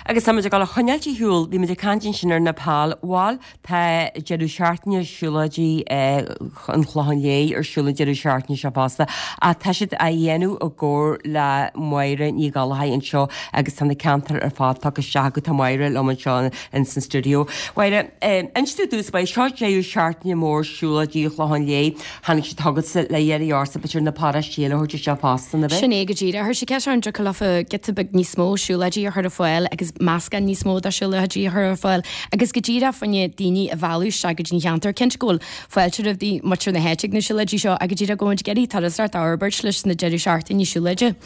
Agus táimid ag dul a choinneáilt ar shiúl, bhí muid ag caint ansin ar Nepal, bhal, tá deireadh seachtaine siúlóidí an Chlocháin Léith ar siúl an deireadh seachtaine seo fosta, ach tá siad á dhéanamh i gcomhar le Máire Ní Ghallchóir anseo agus tá na ceantair ar fad tugtha isteach acu, tá Máire liom anseo in san stiúideo. Máire, inis domh i dtús báire, seo deireadh seachtaine mór siúlóidí an Chlocháin Léith, tháinig siad chugatsa le iarraidh ortsa b'fhéidir na paróistí eile a thabhairt isteach fosta, an ea? Sin é go díreach. Chuir sé ceist orm an dtiocfadh leofa giota beag níos mó siúlóidí a chur ar fáil agus meascán níos mó de siúlóidí a chur ar fáil agus go díreach fá choinne daoine a mhealladh isteach go dtí an cheantar. Cinnte go bhfuil fáilte roimh muintir na háite ag na siúlóidí seo ach go díreach go bhfuil muid ag iarraidh turasóireacht a fhorbairt leis na deireadh seachtaine siúlóide.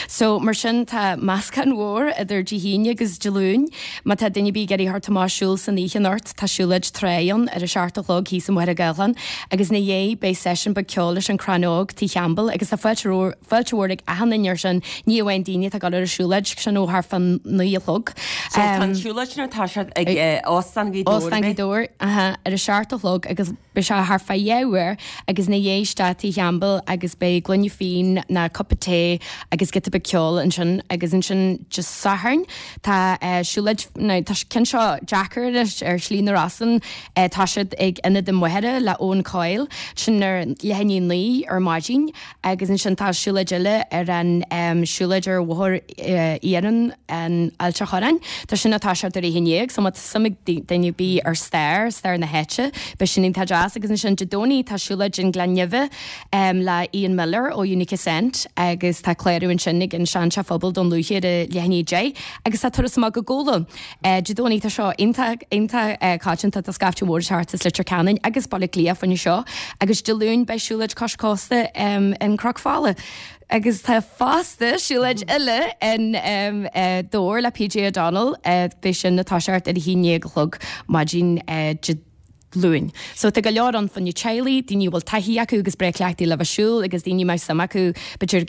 So mar sin tá meascán mhór idir Dé hAoine agus Dé Luain. Má tá duine ar bith ag iarraidh theacht amach siúl san oíche anocht tá siúlóid trá ann ar a seacht a chlog thíos i Machaire Gathlán agus ina dhiaidh beidh seisiún beag ceoil leis an Crann Óg Tigh Champbell agus tá fáilte Fáilte mhór ag achan duine air sin, ní amháin daoine atá ag dul ar an siúlóid, sin ó thart fá naoi a chlog. So tá an siúlóid sin atá siad ag Óstán Ghaoth Dobhair, Óstán Ghaoth Dobhair, aha, ar a seacht a chlog agus beidh sé thart fá dhá uair agus ina dhiaidh isteach Tigh Champbell agus beidh gloine fíon ná cupa tae agus giota beag ceoil ansin agus ansin Dé Sathairn tá siúlóid, now tá ceann seo deacair anois ar Shlí na Rosann, tá siad ag Ionad an Mhachaire le Owen Coyle, sin ar leath i ndiaidh a naoi ar maidin. Agus ansin tá siúlóid eile ar an siúlóid ar Bhóthar Iarainn in Ailt a' Chorráin. Tá sin ag toiseacht ar a haon déag, so má tá suim ag duine ar bith ar stair, stair na háite, beidh sin iontach deas. Agus ansin Dé Domhnaigh tá siúlóid in Gleann Nimhe le Ian Miller ó Unica Scent agus tá clárú ansin ag an Seanteach Phobail Dún Lúiche ar a leath i ndiaidh a deich agus tá turas amach go Gabhla. Dé Domhnaigh tá seo iontach, iontach coitianta, tá scaifte mhór ag teacht as Leitir Ceanainn agus Baile Átha Cliath fá choinne seo agus Dé Luain beidh siúlóid cois cósta in Cnoc Fola agus tá fosta siúlóid eile in Dobhar le P J O'Donnell, beidh sin ag toiseacht ar a haon déag a chlog maidin Dé Luain. So tá go leor ann fá choinne teaghlaigh, daoine a bhfuil taithí acu agus breá cleachtaithe le bheith ag siúl agus daoine a mbeadh suim acu b'fhéidir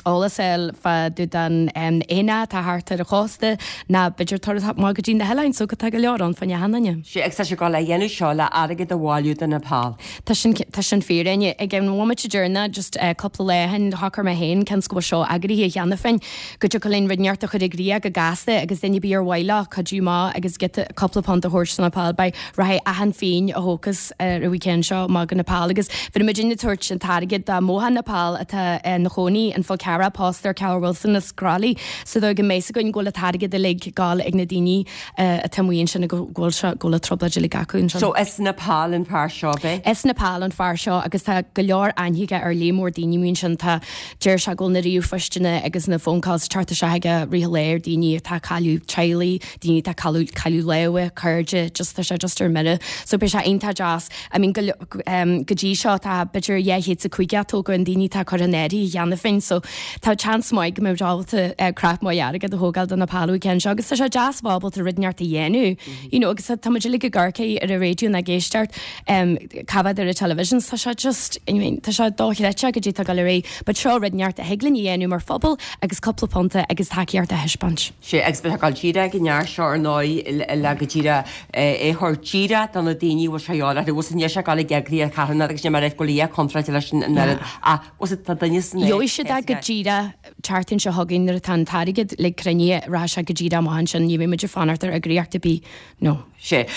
eolas a fháil fá dtaobh den aonach atá thart ar an chósta ná b'fhéidir turas amach go dtí na hoileáin. So tá go leor ann fá choinne achan duine. Sea, agus tá sibh ag gabháil a dhéanamh seo le airgead a bhailiú do Nepal. Tá sin, tá sin fíor, Áine. Ag an bhomaite deireanach, just cúpla lá ó shin, shocair mé féin, cionn is go bhfuil seo eagraithe cheana féin, go dtiocfadh linn rud inteacht a chur i gcrích go gasta agus duine ar bith ar mhaith leo cuidiú amach agus giota cúpla punt a thabhairt do Nepal beidh rachaidh achan phingin a thógfas ar an weekend seo amach go Nepal agus bhí muid ag tabhairt an t-airgead do Mohan Nepal atá ina chónaí in Fál Carrach pósta ar Carol Wilson as Crolly sa dóigh go mbeidh fhios againn go bhfuil an t-airgead uilig ag gabháil ag na daoine atá amuigh ansin go bhfuil seo go bhfuil an trioblóid uilig acu ansin. So as Nepal an fear seo, ab ea? As Nepal an fear seo agus tá go leor aithne aige ar líon mór daoine amuigh ansin tá Deir sé go bhfuil na ríomhphoisteanna agus na phone calls ag teacht isteach aige i rith an lae ar daoine atá ag cailleadh teaghlaigh, daoine atá ag cailleadh cailleadh lámha, cairde, just tá sé just ar mire. So So beidh sé iontach deas. I mean go um, go dtí seo tá b'fhéidir dhá chéad is caoga go an daoine tá curtha in áirithe cheana féin, so tá chance maith go mbeidh ábalta uh, craic maith airgead a thógáil do na Palu ceann seo, agus tá sé deas ábalta rud inteacht a dhéanamh. You know, agus tá muid uilig ag amharc ar an raidió ag éisteacht um, cad ar an television, tá sé just I mean, tá sé dochreidte go dtí tá go ré, but seo rud inteacht a thig linn a dhéanamh mar phobal agus cúpla punta agus tacaíocht a thaispeáint. Sé agus be gal tíre go near seo ar nóí le go tíre é thuir tíre do na daoine bhfuil sé ála, bhfuil san sé gal gegrí a caina agus mar go lia contrate leis an an a was tá duine san Gheobhaidh siad é go díreach tseachtain seo chugainn nuair atá an t-airgead le cruinniú ra sé go díreach amach sin ní bheidh muid ag fanacht ar eagraíocht ar bith no. Sé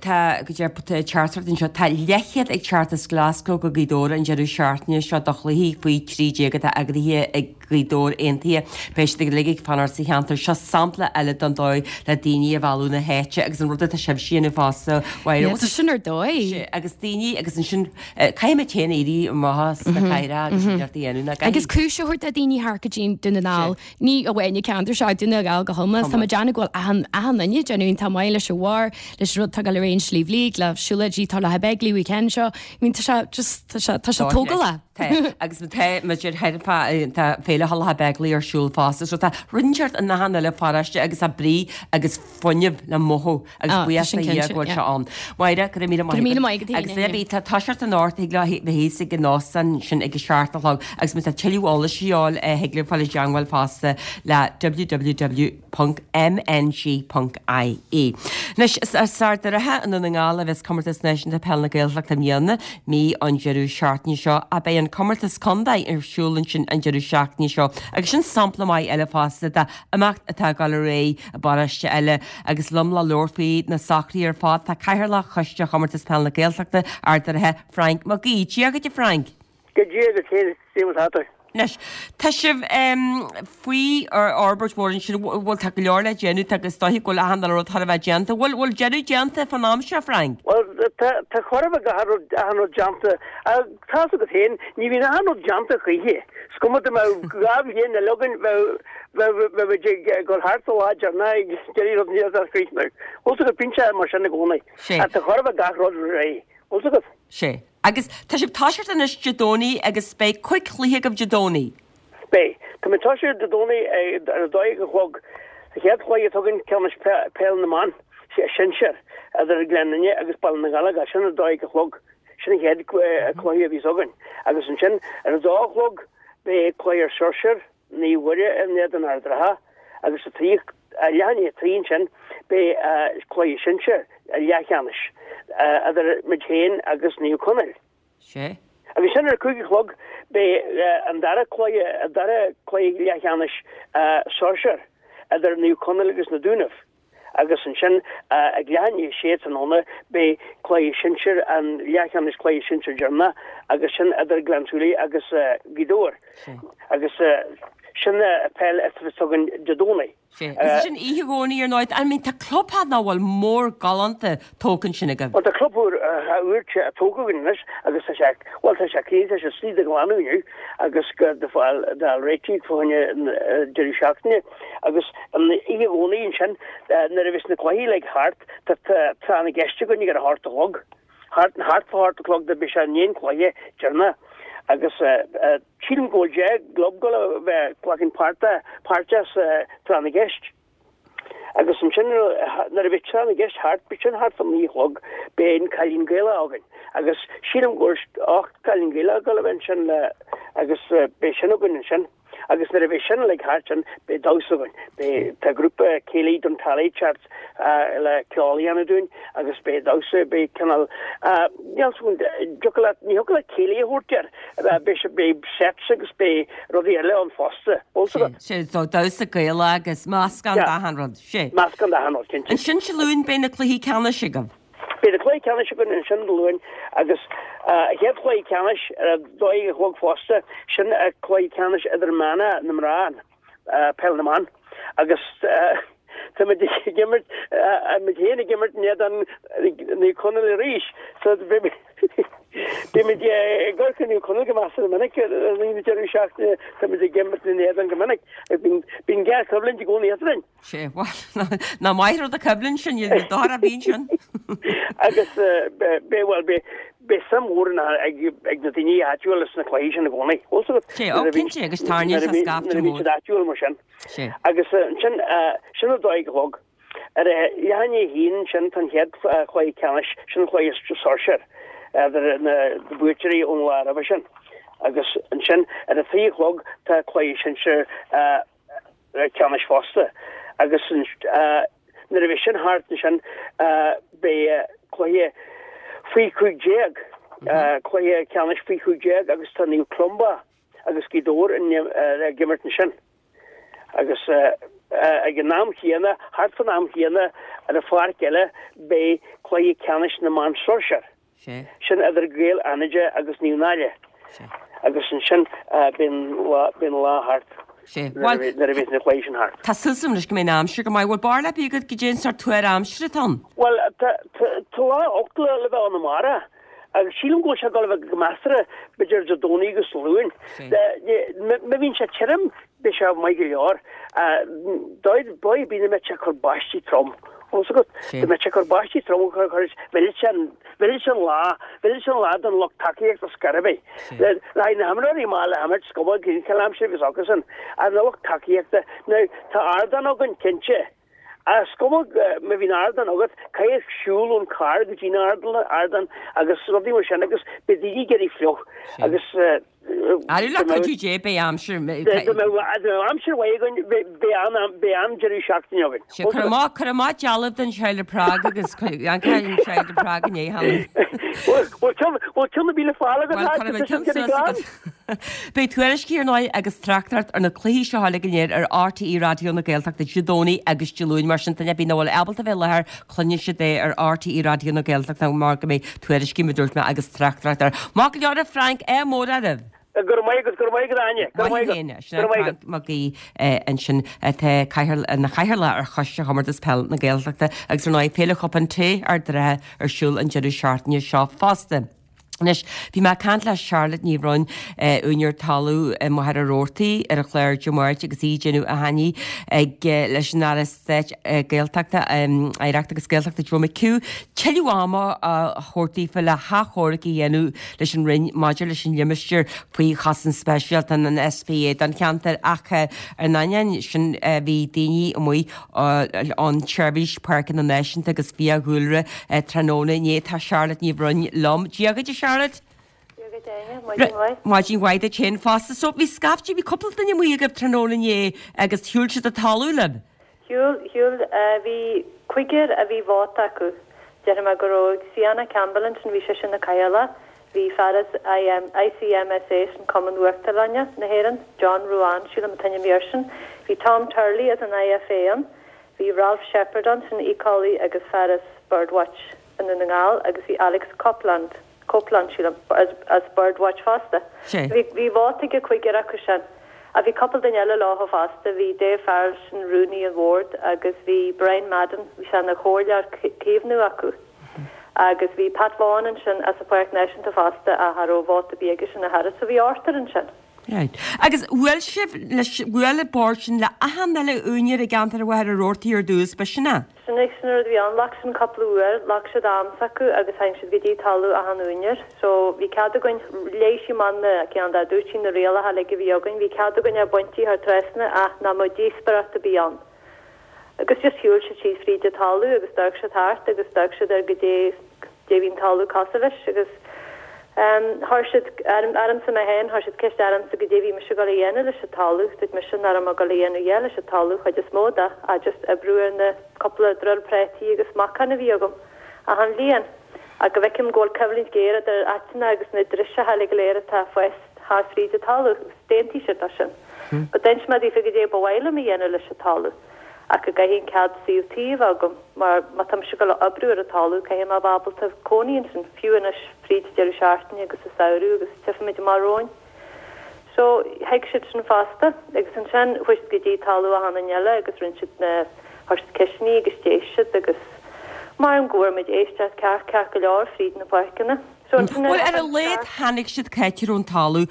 tá go deir teachtaireacht anseo tá leithchéad ag teacht as Glasgow go Gaoth Dobhair an deireadh seachtaine seo do chluichí faoi trí déag atá eagraithe ag Gaoth Dobhair Aontaithe. Beidh siad ag ag fanacht sa cheantar seo sampla eile don dóigh le daoine a mhealladh na háite agus an rud atá sibh déanamh fosta Tá sin ar dóigh. agus daoine agus ansin caithfidh muid éirí amach sna caithreacha agus neart a dhéanamh na Agus cúis a thabhairt do daoine theacht go dtí Dún na nGall ní amháin an ceantar seo Dún na nGall go hiomlán Tá déanamh go bhfuil achan achan duine déanamh tá maith leis an bhar leis rud tá go le réon Sliabh Liag le siúlóidí tá le Begley weekend seo. I mean tá sé just tá sé tá sé tógála. agus tá idir tá féile Halla Begley ar siúl fosta, so tá rinseart an nahan eile paráiste agus a brí agus fuinneamh le mothú agus Ah, buíochas sin le cinnte, go bhfuil yeah. sé ann. Máire go raibh míle Go raibh míle maith agat, agus Aoine, bhí tá toiseacht anocht thig le bheith ag an óstán sin ag a seacht a chlog agus má tá tuilleadh eolais a fháil thig le fáil i dteagmháil fosta le www.mng.ie. Anois is as Ard an Rátha i nDún na nGall a bheas comórtas náisiúnta peil na Gaeltachta i mbliana mí an deireadh seachtaine seo a beidh an comórtas contae ar siúl ansin an deireadh seachtaine seo agus sin sampla maith eile fosta de imeacht atá ag dul ar aghaidh i bparóiste eile agus liom le labhairt faoi na socruithe ar fad tá Cathaoirleach Choiste Chomórtas Peil na Gaeltachta Ard an Rátha Frank Mac Aoidh. Dia duit Frank. Go dtí go céan tá Anois tá sibh um, faoi ar fhorbairt mhór sin bhfuil tá go leor le déanamh agus dóigh go bhfuil achan rud thar a bheith déanta, bhfuil bhfuil deireadh déanta fan am seo Frank. Well tá chor go achan rud déanta tá go féin ní bhíonn achan rud déanta choíche. Is cuma dá mbeadh dhá bhliain na logan go thart lá na rud ní a chríochnú. Bhfuil go pinse mar sin i gcónaí. Tá chor gach rud réidh. Bhfuil go Sé. Agus tá sibh toiseacht anois Dé Domhnaigh agus beidh cúig chluiche agaibh Dé Domhnaigh. Beidh Tá mé toiseacht Dé Domhnaigh ar a dó dhéag a chlog chéad chluiche tugann ceannais peil na mban sinsir idir Gleann Fhinne agus Baile na Gallga sin a dó dhéag a chlog sin an chéad chluiche a bhí againn. Agus ansin ar a dó a chlog beidh cluiche sinsir Naomh Muire in éadan Ard an Rátha agus a trí leath i ndiaidh a trí ansin beidh cluiche sinsir leathcheannais idir muid féin agus Naomh Conaill. Sé. Agus sin ar cúig a chlog beidh an dara cluiche an dara cluiche leathcheannais sóisear idir Naomh Conaill agus na Dúnaibh. Agus ansin ag leath i ndiaidh a sé tráthnóna beidh cluiche sinsir an leathcheannais cluiche sinsir deireanach agus sin idir Gleann tSúilí agus Gaoth Dobhair. Agus sin peil tugann Dé Domhnaigh. Is sin oíche Dhomhnaigh ar ndóigh, I mean tá clubtheach ná bhfuil mór galánta tógtha ansin agaibh. Well tá club úr úr tógtha againn anois agus tá sé well tá sé clean tá sé slí de ghlanadh inniu agus go de fáil d'fháil réitigh fá choinne deireadh seachtaine agus an oíche Dhomhnaigh ansin nuair a bhíos na cluichí uilig thart tá tráth na gceist againn ag a hocht a chlog. Thart thart fá hocht a chlog do bhí sé an aon cluiche deireanach agus sílim go bhfuil deich gclub go bheith glacann páirt páirt sa tráth na gceist. Agus ansin nuair a bhí tráth na gceist thart bhí sin thart fá naoi a chlog beidh an Cailín Gaelach againn. Agus sílim go ocht Cailín Gaelach go bheith sin le agus beidh sin againn ansin. Agus nuair a bhí sin uilig thart sin beidh damhsa againn. Beidh tá grúpa céilí don Tally Chart le ceol a dhéanamh dúinn agus beidh damhsa beidh cineál níl ní thiocfadh le céilí a thabhairt air beidh sé beidh sets agus beidh rudaí eile ann fosta. Sé so damhsa Gaelach agus meascán d'achan rud. Sé. Meascán d'achan rud cinnte. Ansin Dé Luain beidh na cluichí ceannais agaibh. Beidh na cluichí ceannais againn ansin Dé Luain agus a chéad chluiche ceannais ar a dó dhéag a chlog fosta sin a cluiche ceannais idirmheánach na mná peil na mban agus tá muid ag imirt muid féin ag imirt in éadan Naomh Conaill arís. So beimid ag amharc ar Naomh Conaill go measartha minic i rith na deireadh seachtaine, tá muid ag imirt ina n-éadan go minic. Bíonn géarchoimhlint i gcónaí eadrainn. Sé, bhuel, nach maith rud an choimhlint sin, ní dochar a bhíonn sin. Agus beidh, bhuel, beidh, beidh suim mhór ag na daoine áitiúla sna cluichí sin i gcónaí. Bhfuil fhios agat? Sé, ó, cinnte, agus tarraingíonn sé scaifte Nuair a bhíonn mór. siad áitiúil mar sin. Sé. Agus ansin, sin a dó a chlog. Ar a leath i ndiaidh a haon ansin tá an chéad chluiche ceannais, sin an cluiche sóisear, idir na buaiteoirí ón lá roimhe sin. Agus ansin ar a trí a chlog tá cluiche sinsir ceannais fosta. Agus nuair a bheidh sin thart ansin beidh cluiche faoi cúig déag, cluiche ceannais faoi cúig déag agus tá Naomh Columba agus Gaoth Dobhair ag imirt ansin. Agus ag an am chéanna, thart fan am chéanna, ar an pháirc eile, beidh cluiche ceannais na mban sóisear. Sin idir Gaeil Fhánada agus Naomh Náille. Agus ansin beidh an lá thart nuair a bheidh na cluichí sin thart. Tá súil agam anois go mbeidh an aimsir go maith. Bhfuil barúil ar bith agat goidé an sórt tuar aimsire atá ann? Bhuel, tá lá olc le bheith ann amárach. Agus sílim go bhfuil sé ag dul a bheith go measartha, b'fhéidir Dé Domhnaigh agus Dé Luain. Má bhíonn sé tirim, beidh sé maith go leor. Dóigh ar bith nach mbeidh sé ag cur báistí trom. Bhfuil fhios agat? Dá mbeadh sé ag cur báistí trom, mhillfeadh sé an, mhillfeadh sé an lá, mhillfeadh sé an lá don lucht tacaíochta scor ar bith. Le haghaidh na himreoirí maith le himirt, is cuma cén cineál aimsire a bheas acusan, ach na lucht tacaíochta, now tá ardán againn, cinnte. Is cuma má bhíonn ardán agat, caithfidh siúl ón carr go dtí an ardán agus rudaí mar sin agus beidh daoine ag éirí fliuch agus Arú le cuidiú Dé beidh aimsir. Dá mbeadh aimsir mhaith againn beidh an-deireadh seachtaine againn. Sea, cuir amach, cuir amach dealbh den Child of Prague agus an Child of Prague inné cheana. Bhfuil ceann ar bith le fáil agat? Bhuel, cuirfidh mé ceann suas agat. Beidh tuairiscí ar ndóigh agus tráchtaireacht ar na cluichí seo uilig go léir ar RTÉ Raidió na Gaeltachta Dé Domhnaigh agus Dé Luain. Mar sin, duine ar bith nach bhfuil ábalta bheith i láthair, cluinfidh siad é ar RTÉ Raidió na Gaeltachta mar go mbeidh tuairiscí, mar a dúirt mé, agus tráchtaireacht air. Maith go leor a Frank, ádh mór oraibh! Go raibh maith agat, go raibh maith agat Áine, go raibh maith agat. Sin é Frank Mac Aoidh ansin atá ina chathaoirleach ar Choiste Chomórtas Peile na Gaeltachta agus ar ndóigh Féile Chupán Tae Ard an Rátha ar siúl an deireadh seachtaine seo fosta. Anois, bhí mé ag caint le Charlotte Ní Bhroin, úinéir talaimh i Machaire Rabhartaigh ar an chlár Dé Máirt agus í ag déanamh achainí ag leis an Aire Stáit Gaeltachta, Oidhreachta agus Gaeltachta Joe McHugh tuilleadh ama a thabhairt daofa le hachomharc a dhéanamh leis an Roinn maidir leis an limistéar faoi chosaint speisialta, an SPA, don cheantar ach ar an ainneoin sin bhí daoine amuigh ón tSeirbhís Páirceanna Náisiúnta agus Fiadhúlra tráthnóna inné. Tá Charlotte Ní Bhroin liom. Dia dhuit a Charlotte. Dia dhuit Áine, maidin mhaith. Maidin mhaith duit féin fosta. So bhí scaifte, bhí cúpla duine amuigh agaibh tráthnóna inné agus shiúil siad an talamh libh? Shiúil, shiúil. Bhí cúigear a bhí vóta acu. Déarfaidh mé go raibh Ciana Campbell ansin, bhí sise ina cathaoirleach, bhí fear as ICMSA, sin Cumann Uachtarlainne na hÉireann, John Ruane, sílim an t-ainm a bhí airsean, bhí Tom Turley as an IFA ann, bhí Ralph Sheppard ann, sin éiceolaí agus fear as Birdwatch i nDún na nGall agus bhí Alex Copeland, Copeland sílim, as as Birdwatch fosta. Bhí bhí vóta ag cúigear acu sin. Ach bhí cúpla duine eile leo fosta, bhí Dave Farrell, sin rúnaí an bhoird agus bhí Brian Madden, bhí sé ina chomhairleoir caomhnú acu. Agus bhí Pat Vaughan ansin as an Pháirc Náisiúnta fosta ach cha raibh vóta ar bith aigesean a Charlotte, so bhí ochtar ansin. Right. Agus bhuail sibh leis, bhuail an bord sin le achan uile úinéir i gceantar Mhachaire Rabhartaigh ar dtús, b'shin é? Sin é, sin an rud a bhí ann. Ghlac sin cúpla uair, ghlac siad am s'acu agus tháinig siad go dtí talamh achan úinéir. So bhí cead againn, léigh sí amach na, ceann dá dúirt sí na rialacha uilig a bhí againn, bhí cead againn é a bhaint thar trasna ach nach mbeadh díospóireacht ar bith ann. Agus just shiúil siad síos fríd an talamh agus d'amharc siad thart agus d'amharc siad ar goidé goidé bhí an talamh cosúil leis agus em chuir siad ormsa mé féin, chuir siad ceist ormsa goidé bhí mise ag dul a dhéanamh leis an talamh, dúirt mise nach raibh mé ag dul a dhéanamh a dhath leis an talamh chuid is mó de ach just oibriú ar na cúpla druil prátaí agus meachain a bhí agam achan bhliain ach go bhfeicim go bhfuil coimhlint ghéar idir áiteanna agus na driseacha uilig go léir atá ag fás thart fríd an talamh agus d'aontaigh siad leis sin. But d'inis mé daofa goidé ba mhaith liom a dhéanamh leis an talamh ach go gcaithfidh an cead suíomh tí a bheith agam mar má tá mise ag dul a oibriú ar an talamh caithfidh mé a bheith ábalta cónaí ansin fiú anois fríd deireadh seachtaine agus sa samhradh agus tchífimid amach romhainn. So thuig siad sin fosta agus ansin chuaigh siad go dtí talamh achan duine eile agus rinne siad na Chuir siad ceisteanna agus d'éist siad agus maram go bhfuair muid éisteacht ceart ceart go leor fríd na páirceanna. So ansin Bhuel, ar a laghad tháinig siad cá háit a raibh an talamh,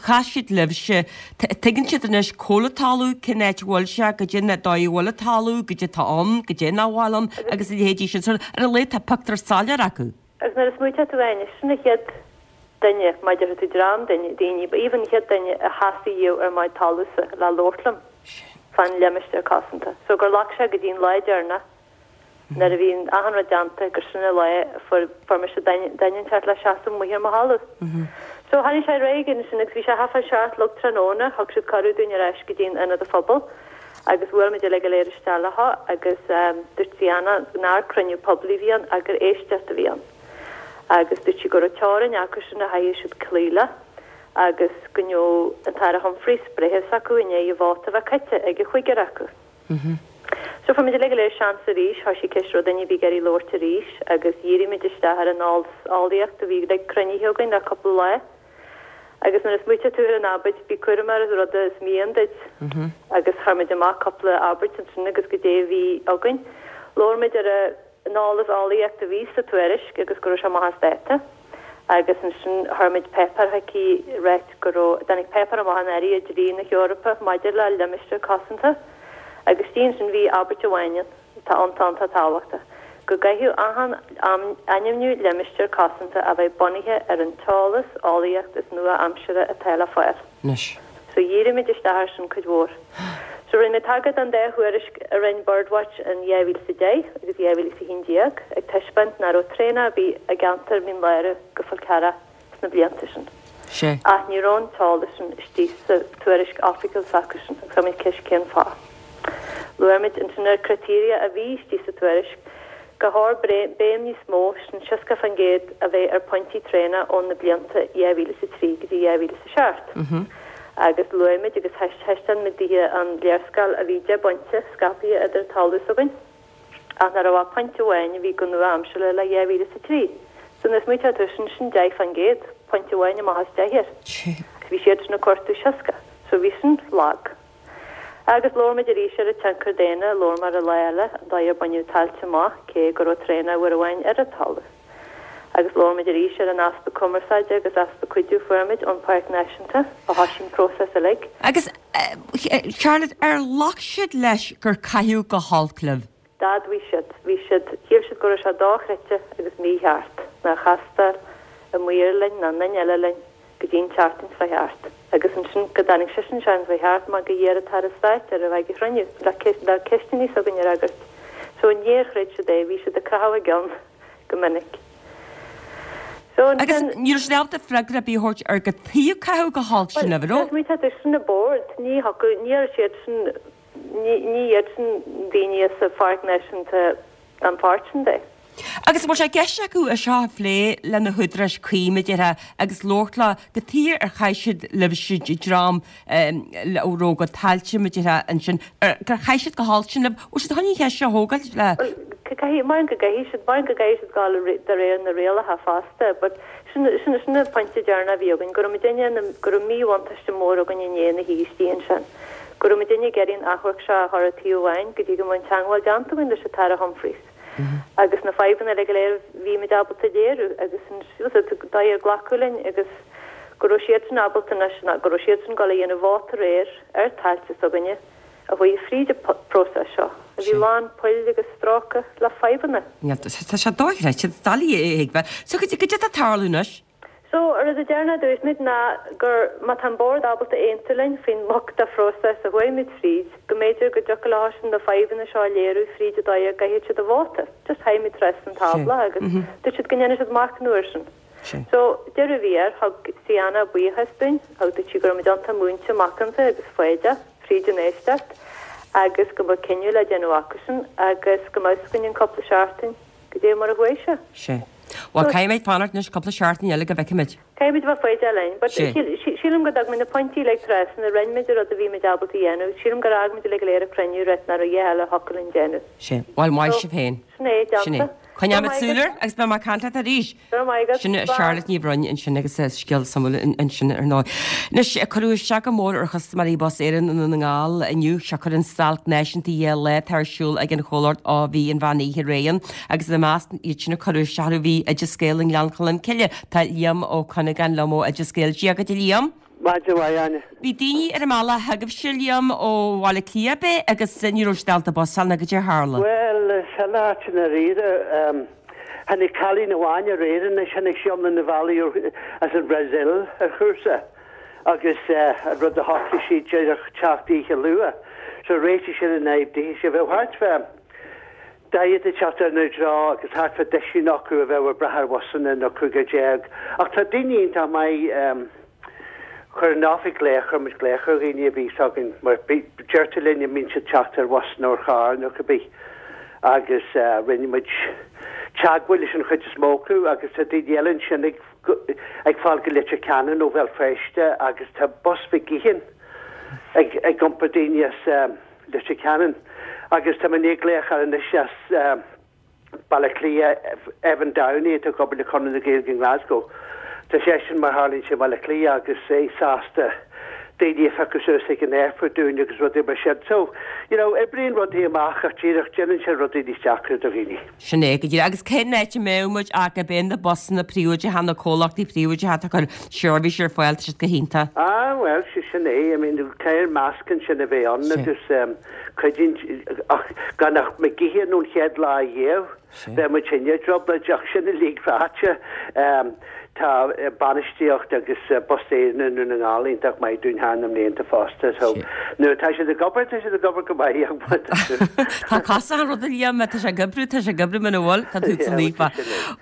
chas siad libhse, tuigeann siad anois cá bhfuil an talamh, cén áit a bhfuil sé, goidé an dóigh a bhfuil an talamh, goidé atá ann, goidé nach bhfuil ann agus a leithéidí sin. So ar a laghad tá pictiúr soiléir acu. Agus nuair a smaoiteodh tú Áine, sin an chéad duine, má déarfaidh tú dream duine, daoine, but even an chéad duine a sheasaigh dhíobh ar mo thalamhsa le labhairt liom fán limistéar cosanta. So gur ghlac sé go dtí an lá deireanach nuair a bhí achan rud déanta gur sin an lá a fuair fuair mise duine duine inteacht le seasamh amuigh ar mo thalamh. So tháinig sé ar aghaidh ansin agus bhí sé thart fá seacht a chlog tráthnóna, thug siad cuireadh dúinn ar ais go dtí an ionad an phobail agus bhuail muid uilig go léir isteach leo agus dúirt Diana nár cruinniú poiblí a bhí ann ach gur éisteacht a bhí ann. Agus dúirt sí go raibh teorainn acu sin a chaithfidh siad cloí le agus go ngeobhadh an tAire Humphreys breithiúnas acu i ndiaidh an vóta a bheith caite ag an chúigear acu. So fuair muid uilig go léir seans arís, thoisigh ceist raibh duine ar bith ag iarraidh labhairt arís agus dhírigh muid isteach ar an eolas eolaíocht a bhí uilig cruinnithe againn le cúpla lá. Agus nuair a smaoiteodh tú ar an abairt bí cúramach ar an rud is mian duit agus chuir muid amach cúpla abairt ansin agus goidé a bhí againn. Labhair muid ar an eolas eolaíocht a bhí sa tuairisc agus go raibh sé amach as dáta. Agus ansin chuir muid páipéar chuici ag ráit go raibh, dtáinig páipéar amach anuraidh ó dlí na hEorpa maidir le limistéar cosanta. Agus istigh ansin bhí abairt amháin ann, atá iontach iontach tábhachtach, go gcaithfeadh achan ainmniú limistéar cosanta a bheith bunaithe ar an t-eolas eolaíocht is nua-aimseartha atá le fáil. Anois. So dhírigh muid isteach air sin cuid mhór. So rinne mé tagairt don dá thuairisc a rinne Birdwatch in dhá mhíle is a deich agus dhá mhíle is a haon déag ag taispeáint nach raibh traonach ar bith i gceantar Mhín Lárach go Fál Carrach sna blianta sin. Sea. Ach ní raibh an t-eolas sin istigh sa tuairisc oifigiúil s'acusan agus chuir muid ceist cén fáth. Luaigh muid ansin ar criteria a bhí istigh sa tuairisc gur chóir béim níos mó, sin seasca faoin gcéad, a bheith ar phointí traonach ó na blianta dhá mhíle is a trí go dtí dhá mhíle is a seacht. Agus luaigh muid agus thaispeáin muid daoithe an léarscáil a bhí deich bpointe scaipthe idir an talamh s'againn ach nach raibh ach pointe amháin a bhí go nua-aimseartha le dhá mhíle is a trí. So nuair a smaoiteodh tú sin, sin deich faoin gcéad, pointe amháin amach as deich air. Agus bhí siadsan ag cuartú seasca. So bhí sin lag. Agus labhair muid arís ar an tionchar daonna, labhair muid ar an lá eile, an dóigh ar baineadh tailte amach, cé go raibh traonach uair amháin ar an talamh. Agus labhair muid arís ar an easpa cumarsáide agus easpa cuidiú a fuair muid ón Pháirc Náisiúnta ó thoisigh an próiseas uilig. Agus, Charlotte, ar ghlac siad leis gur caitheadh go holc libh? D'admhaigh siad. Bhí siad, shíl siad go raibh sé dochreidte agus mícheart nár chastáil an maor linn ná aon duine eile linn go dtí an tseachtain seo thart. Agus ansin go dtáinig seisean an tseachtain seo thart mar gur iarr an tAire Stáit air a bheith ag an chruinniú le le ceisteanna s'againn a fhreagairt. So níor chreid siad é, bhí siad ag croitheadh a gceann go minic. So Agus ansin. ní raibh siad ábalta freagra ar bith a thabhairt ar cad chuige ar caitheadh go holc Bhuel, sin libh, an raibh? smaointigh tú, sin an bord, ní thiocfadh, ní raibh siadsan, ní ní iadsan daoine sa Pháirc Náisiúnta don pháirt sin de. Agus an bhfuil sé i gceist acu é seo a phlé le na húdaráis cuí, mar a déarfá, agus labhairt leo cad chuige ar chaith siad libhse dream a raibh a gcuid tailte, mar a déarfá, ansin, gur chaith siad go holc sin libh, bhfuil siad chun an cheist seo a thógáil le. Bhuel, caithfidh, maram go gcaithfidh siad, maram go gcaithfidh siad dul de réir na rialacha fosta, but sin, sin, sin an pointe deireanach a bhí againn, go raibh muidinne, go raibh míbhuntáiste mór againn i ndiaidh na híostaí ansin, go raibh muidinne ag iarraidh an achomharc seo a chur ar taobh amháin go dtí go mbeadh an teangmháil déanta againn leis an tAire Humphreys. Agus na fadhbanna uilig go léir a bhí muid ábalta a léiriú agus an dóigh ar glacadh linn agus go raibh siadsan ábalta anois, ná go raibh siadsan ag dul a dhéanamh vóta aréir ar tailte s'againne a chuaigh fríd an próiseas seo a bhí lán poill agus stróicthe le fadhbanna. Tá sé dochreidte, doiligh a thuigbheáil. So cad é atá ag tarlú anois? So, an rud deireanach a dúirt muid ná gur má tá an Bord ábalta aontú linn faoin mboc de phróiseas a chuaigh muid fríd, go mb'fhéidir go dtiocfadh leo sin na fadhbanna seo a léiriú fríd an dóigh a gcaithfidh siad a vóta. Just thagadh muid trasna an tábla agus dúirt siad go ndéanfaidh siad machnamh air sin. So, deireadh a bhí air, thug Siana buíochas dúinn, thug dúirt sí go raibh muid iontach múinte, macánta agus foighdeach fríd an éisteacht agus go mbeadh cinneadh le déanamh acusan agus go mbeadh 'fhios againn in cúpla seachtain goidé mar a chuaigh sé. Sea. Bhuel, caithfidh muid fanacht anois cúpla seachtain eile go bhfeicfidh muid. Caithfidh muid a bheith foighdeach linn. But Sea. sílim go dtug muid na pointí uilig trasna, rinne muid an rud a bhí muid ábalta a dhéanamh. Sílim gur fhág muid uilig go léir an cruinniú ag ráit nach raibh a dhath eile a thiocfadh linn déanamh. Sea. Bhuel, maith So, sibh féin. sin é, Sin é. déanta. Coinneoidh muid súil air agus beidh mé ag caint leat arís. Go raibh maith agat. Sin Charlotte Ní Bhroin ansin agus scéal suimiúil ansin ar ndóigh. Anois, cuireadh isteach go mór ar chustaiméirí Bus Éireann i nDún na nGall inniu, siocair an stailc náisiúnta dhá lá atá ar siúl ag an chomhlacht ó bhí an mheán oíche aréir agus ina measc iad sin a cuireadh isteach orthu bhí Oideas Gael i nGleann Cholm Cille. Tá Liam Ó Cuinneagáin liom ó Oideas Gael. Dia dhuit a Liam. Maidin mhaith, Áine. Bhí daoine ar an mbealach chugaibhse, Liam, ó Bhaile Átha Cliath, ab é, agus ní raibh siad ábalta bus a fháil nó goidé a tharla. Bhuel, is eile áit i ndáiríre. Tháinig cailín amháin aréir anois, tháinig sí iomlán an bhealaigh as an Bhrasaíl ar chúrsa agus an rud a shocraigh sí díreach teacht oíche luath. So réitigh sin an fhadhb dithe. Bheadh thart fá daichead ag teacht inár dtreo agus thart fá duisín acu a bheadh ag brath ar bhusanna nó cúigear déag. Ach tá daoine iontach maith. Chuir an oifig glaoch, chuir muid glaoch ar dhaoine a bhí s'againn mar deirtear linn a mbíonn siad teacht ar bhus nó ar charr nó cibé agus rinne muid teagmháil leis an chuid is mó acu agus tá daoine eile ansin ag ag fáil go Leitir Ceanainn ó Bhéal Feirste agus tá bus McGeehan ag ag iompar daoine as Leitir Ceanainn agus tá mé i ndiaidh glaoch air anois as Baile Átha Cliath, Evan Downey atá ag obair le Conradh na Gaeilge i nGlasgow. Tá seisean mar tharlaíonn sé i mBaile Átha Cliath agus é sásta daoine a phiocadh suas ag an aerfort dúinn agus rudaí mar sin. So, you know, oibríonn rudaí amach ach díreach déanann sé rudaí níos deacra do dhaoine. Sin é go díreach. Agus cén áit a mbeadh muid ach ab é na busanna príobháideacha, na comhlachtaí príobháideacha atá ag cur seirbhís ar fáil, tá siad go hiontach. Ah, bhuel, sé sin é. I mean, caithfidh meascán sin a bheith ann agus cuidíonn, ach gan ach McGeehan ón chéad lá riamh, bheadh muid féin i dtrioblóid, ach sin uilig ráite, tá bainistíocht agus Bus Éireann i nDún na nGall iontach maith dúinn thar na mblianta fosta, so nuair atá siad ag obair, tá siad ag obair go maith, ach má tá siad. Tá cosach an ruda, Liam, tá sé ag oibriú, tá sé ag oibriú muna bhfuil, tá tú sa naofa.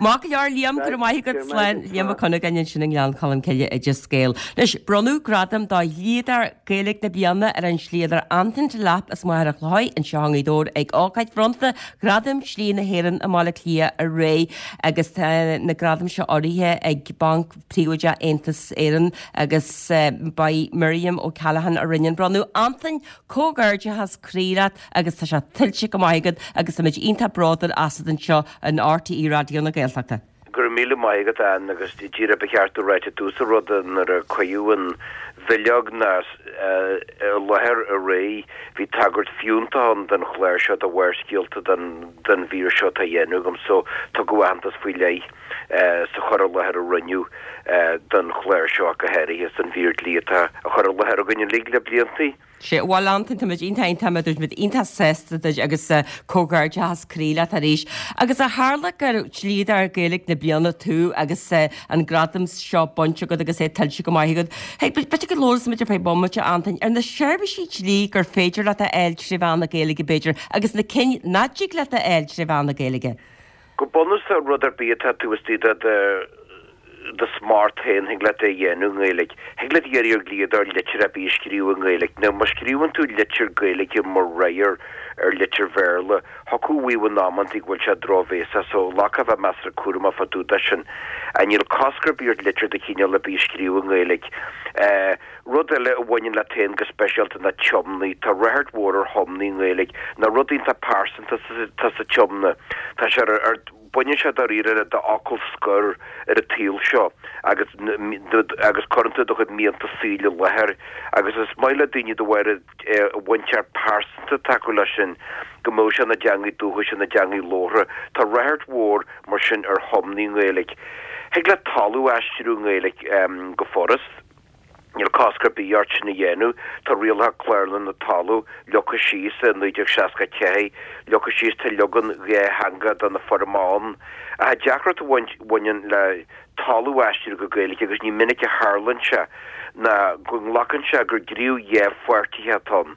Maith go leor, Liam, go raibh maith agat, slán, Liam Ó Cuinneagáin ansin i nGleann Cholm Cille, Oideas Gael. Anois, bronnadh gradam do dhlíodóir Gaeilge na Bliana ar an dlíodóir Antain Delap as Machaire Chlochair anseo i nGaoth Dobhair ag ócáid bhronnta Ghradaim Dlí na hÉireann i mBaile Átha Cliath aréir agus tá na gradaim seo urraithe ag Banc Príobháideach Aontas Éireann agus ba í Miriam O'Callaghan a rinne an bronnadh. Antain, comhghairdeachas croí leat agus tá sé tuillte go maith agat agus táimid iontach bródúil asat anseo in RTÉ Raidió na Gaeltachta. Go raibh míle maith agat, Ann, agus díreach ba cheart a ráit i dtús an ruda nuair a cuireadh an bhileog na i láthair aréir bhí tagairt fiúntach ann don chlár seo do Bharrscéalta don don mhír seo atá á dhéanamh agam so tugadh aitheantas faoi leith sa chur i láthair a rinneadh don chlár seo ach go háirithe is don mhír dlí atá á chur i láthair againn uilig le bliantaí. Sea, bhuel Antain, táimid iontach iontach, mar a dúirt muid, iontach sásta duit agus comhghairdeachas croí leat arís. Agus ó tharla gur dlíodóir Gaeilge na bliana tú agus an gradam seo bainte agat agus é tuillte go maith agat, hey, b'fhéidir go labhróidh muid ar feadh bomaite, Antain, ar na seirbhísí dlí gur féidir leat a fháil trí mheán na Gaeilge, b'fhéidir, agus na cinn nach dtig leat a fháil trí mheán na Gaeilge. Go bunúsach, rud ar bith atá taobh istigh de do do smacht féin, thig leat é a dhéanamh i nGaeilge. Thig leat iarraidh ar dhlíodóir litir ar bith a scríobh i nGaeilge. Now, má scríobhann tú litir Gaeilge mar fhreagra ar litir Bhéarla, thiocfadh a mhaíomh in amantaí go bhfuil sé drochbhéasach, so ghlacfá a bheith measartha cúramach fá dtaobh de sin. Níl cosc ar bith ort litir de chineál ar bith a scríobh i nGaeilge. Rud eile a bhaineann leat féin go speisialta ná tiomnaí. Tá ráchairt mhór ar thiomnaí i nGaeilge. Nó rud iontach pearsanta atá sa tiomna. Tá sé ar, baineann sé dáiríre le d'fhocal scoir ar an tsaol seo agus agus cuireann tú do chuid mianta saoil i láthair agus is maith le daoine de bharr an bhaint pearsanta atá acu leis sin go mbeadh sé ina dteangaidh dúchais, ina dteangaidh labhartha. Tá ráchairt mhór mar sin ar thiomnaí i nGaeilge. Thig leat talamh a aistriú i nGaeilge go furast. Níl cosc ar bith ort sin a dhéanamh. Tá rialacha Clárlann na Talún leagtha síos i naoi déag seasca a ceathair, leagtha síos, tá leagan dhátheangach de na foirmeacha ann. Ach an deacracht a bhaineann le talamh a aistriú go Gaeilge, agus ní minic a tharlaíonn sé, ná go nglacann sé gur gníomh dhá pháirtithe atá ann.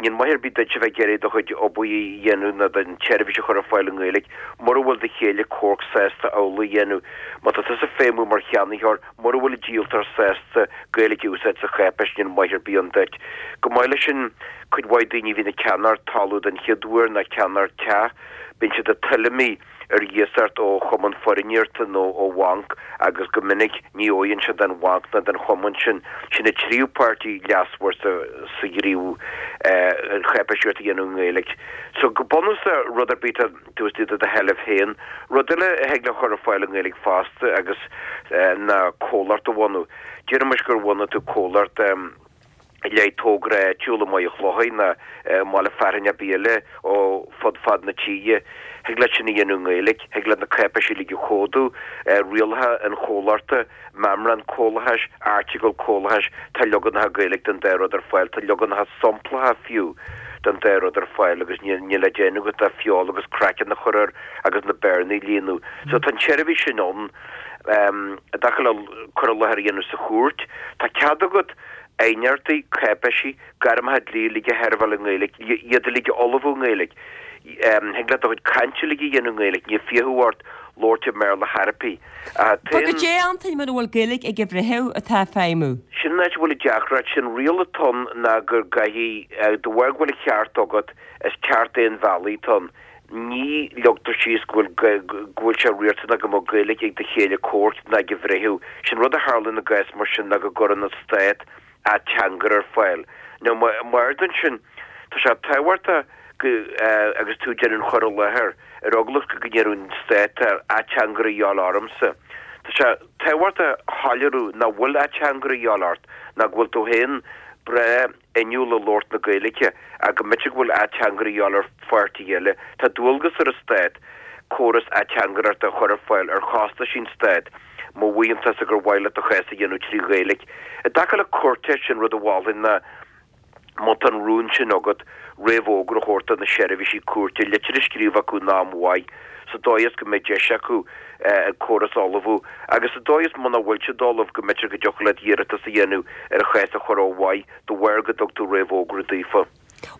Níl maith ar bith duit a bheith ag iarraidh do chuid obair a dhéanamh nó don tseirbhís a chur ar fáil i nGaeilge mura bhfuil do chéile comhairc sásta amhlaidh a dhéanamh. Má tá tusa ag feidhmiú mar cheannaitheoir, Mura bhfuil an díoltóir sásta Gaeilge a úsáid sa cháipéis níl maith ar bith ann duit. Chomh maith leis sin, Cuid mhaith daoine a bhíonn ag ceannacht talamh den chéad uair nó ag ceannacht teach, bíonn siad ag tuilleamaí ar iasacht ó chumann foirgníochta nó ó bhanc agus go minic ní fhóireann siad don bhanc ná don chumann sin. Sin an tríú páirtí leasmhar sa sa ghníomh an cháipéisíocht a dhéanamh i nGaeilge. So go bunúsach rud ar bith atá taobh istigh de do sheilbh féin. Rud eile a thig le chur ar fáil i nGaeilge fosta agus ná comhlacht a bhunú. Déarfaimis gur bhunaigh tú comhlacht le haghaidh togra áitiúil i Maigh Chlocháin nó i mbaile fearainn ar bith eile ó fud fad na tíre. Thig leat sin a dhéanamh i nGaeilge, thig leat na cáipéisí uilig a chomhdú, rialacha an chomhlachta, meamrán comhlachais, airteagail comhlachais, tá leaganacha Gaeilge den dá rud ar fáil, tá leaganacha somplacha fiú den dá rud ar fáil agus níl le déanamh agat ach feoil agus craiceann a chur air agus na bearnaí a líonadh. So tá an tseirbhís sin ann. I dtaca le cur i láthair a dhéanamh sa chúirt, tá cead agat aighneachtaí, cáipéisí, gairmeacha dlí uilig a sheirbheáil i nGaeilge, iad uilig a ullmhú i nGaeilge. Thig leat do chuid cainte uilig a dhéanamh i nGaeilge, níl fiacha ort labhairt i mBéarla chor ar bith. Tá goidé Antain mura bhfuil Gaeilge ag an bhreitheamh atá ag feidhmiú? Sin an áit a bhfuil an deacracht, sé'n riail atá ann ná gur gcaithfidh, de bharr go bhfuil an ceart agat, is ceart aon bhealaigh atá ann. Ní leagtar síos go bhfuil go bhfuil sé riachtanach go mbeadh Gaeilge ag do chéile comhraic ná ag an bhreitheamh. Sé'n rud a tharlaíonn i gcás mar sin ná go gcuireann an Stát ateangaire ar fáil. Now mar sin, tá sé tábhachtach go agus tú ag déanamh an chur i láthair, ar eagla go ndéarfadh an Stát tá ateangaire a dhíobháil ormsa. Tá sé tábhachtach a shoiléiriú nach bhfuil ateangaire a dhíobháil ort, ná go bhfuil tú féin breá inniúil i labhairt na Gaeilge ach go mb'fhéidir go bhfuil ateangaire a dhíobháil ar pháirtí eile. Tá dualgas ar an Stát córas ateangaireachta a chur ar fáil ar chostais an Stáit má mhaíonn tusa gur mhaith leat do chás a dhéanamh trí Ghaeilge. I dtaca le cúirte, sé'n rud a mholfainn ná má tá an rún sin agat, réamhfhógra a thabhairt do na seirbhísí cúirte, litir a scríobh acu in am mhaith, sa dóigh is go mbeidh deis acu an córas a ullmhú, agus sa dóigh is muna bhfuil siad ullamh, go mb'fhéidir go dtiocfadh leat iarratas a dhéanamh ar an chás a chur ó mhaith, de bharr go dtug tú réamhfhógra daofa.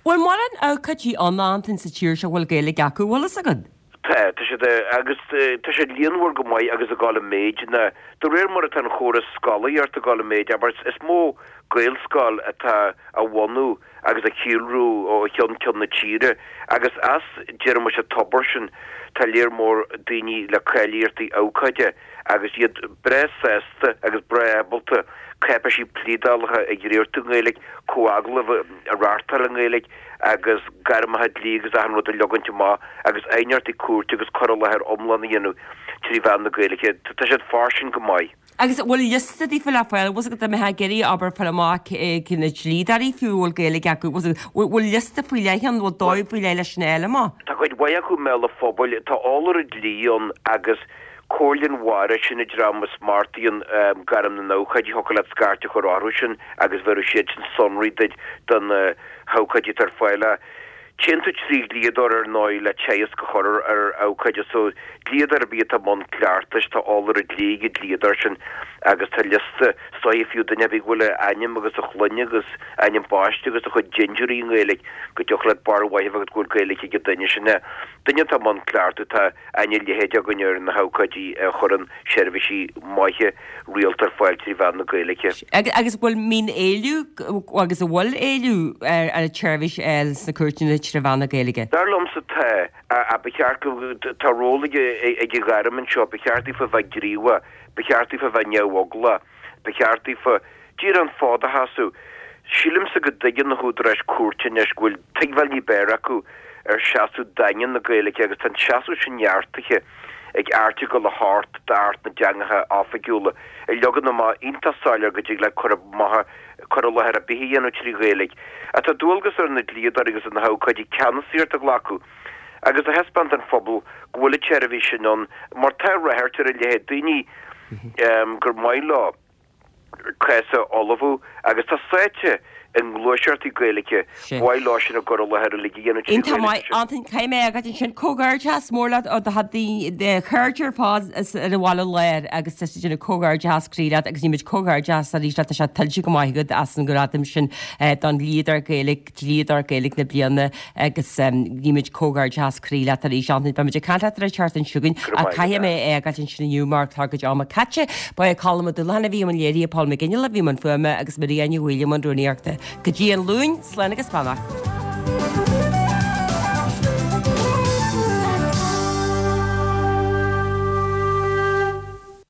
Bhfuil mórán abhcóidí ann, a Antain, sa tír seo a bhfuil Gaeilge acu, bhfuil fhios agat? Tá, tá siad, agus tá siad líonmhar go maith agus ag dul i méid ná de réir mar atá an chóras scolaíocht ag dul i méid, abair, is mó Gaelscoil atá á bhunú agus ag síolrú ó cheann ceann na tíre agus as, déarfaimis, an tobar sin, tá léar mór daoine le cáilíochtaí abhcóide agus iad breá sásta agus breá ábalta cáipéisí pléadálacha a dhréachtú i nGaeilge, comhagallaimh a reáchtáil i nGaeilge agus gairmeacha dlí agus achan rud a leagaint amach agus aighneachtaí cúirte agus cur i láthair iomlán a dhéanamh trí mheán na Gaeilge. Tá siad fairsing go maith. Agus an bhfuil liosta daofa le fáil? Bhfuil fhios agat dá mbeifeá ag iarraidh abair fáil amach cé na dlíodóirí fiú a bhfuil Gaeilge acu, bhfuil fhios agat, bhfuil liosta faoi leith ann, bhfuil dóigh faoi leith leis sin a fháil amach? Tá cuid mhaith acu i mbéal an phobail, tá eolaire dlí ann agus Comhairle an Bharra, sin an dream a smachtaíonn gairm na n-abhcóidí, thiocfadh leat scairt a chur orthu sin agus bhéarfaidh siad sin sonraí duit de na habhcóidí atá ar fáil. Téann tú trí dhlíodóir ar ndóigh le teagasc a chur ar abhcóide so dlíodóir ar bith atá i mbun cleachtais, tá eolaire dlí ag an dlíodóir sin agus tá liosta is dóiche fiú duine ar bith go bhfuil a ainm agus a shloinne agus ainm baiste agus a chuid dintiúirí i nGaeilge go dtiocfadh leat barúil mhaith a bheith agat go bhfuil Gaeilge ag an duine sin. Duine atá i mbun cleachtaidh, tá aithne leitheadach againn ar na habhcóidí a chuireann seirbhísí maithe rialta ar fáil trí mheán na Gaeilge. Agus bhfuil mbíonn éileamh agus an bhfuil éileamh ar an tseirbhís a fháil sna cúirteanna trí mheán na Gaeilge? Dar liomsa tá, ach ba cheart go, tá ról ag an ghairm anseo, ba cheart daofa bheith gníomhach, ba cheart daofa bheith neamheaglach, ba cheart daofa díreach an fód a sheasamh. Sílimse go dtuigeann na húdaráis cúirte anois go bhfuil tuigbheáil ní b'fhearr acu ar seasamh daingean na Gaeilge agus tá an seasamh sin neartaithe ag Airteagal a hocht d'Acht na dTeangacha Oifigiúla, a leagann amach iontach soiléir go dtig leat cur amach, cur i láthair ar bith a dhéanamh trí Ghaeilge. Ach tá dualgas ar na dlíodóirí agus ar na habhcóidí ceannasaíocht a ghlacadh agus a thaispeáint don phobal go bhfuil an tseirbhís sin ann mar tá ráchairt ar a leithéid, daoine gur maith leo cás a ullmhú agus atá sáite i ngluaiseachtaí Gaeilge, ba mhaith leo sin a gcur i láthair uilig a dhéanamh trí Iontach Ghaeilge maith, sin. Antain, caithfidh mé é a fhágáil ansin. Comhghairdeas mór leat ó do do chairde ar fad ar an bhaile láir agus tá siad ag déanamh comhghairdeas croí leat agus guímid comhghairdeas arís leat, tá sé tuillte go maith agat as an ngradam sin don dhlíodóir Gaeilge, Dlíodóir Gaeilge na Bliana agus guímid comhghairdeas croí leat arís, Antain. Beimid ag caint leat ar an tseachtain seo chugainn Go raibh ach maith caithfidh agat. mé é a fhágáil ansin inniu mar tá cuid ama caite. Ba é Colm Ó Dúlacháin a bhí i mbun léirithe, Paul Mac Fhionnghaile a bhí i mbun fuaime agus Maria Ní Bhaoill i mbun rúnaíochta. Go dtí an Luan, slán agus beannacht.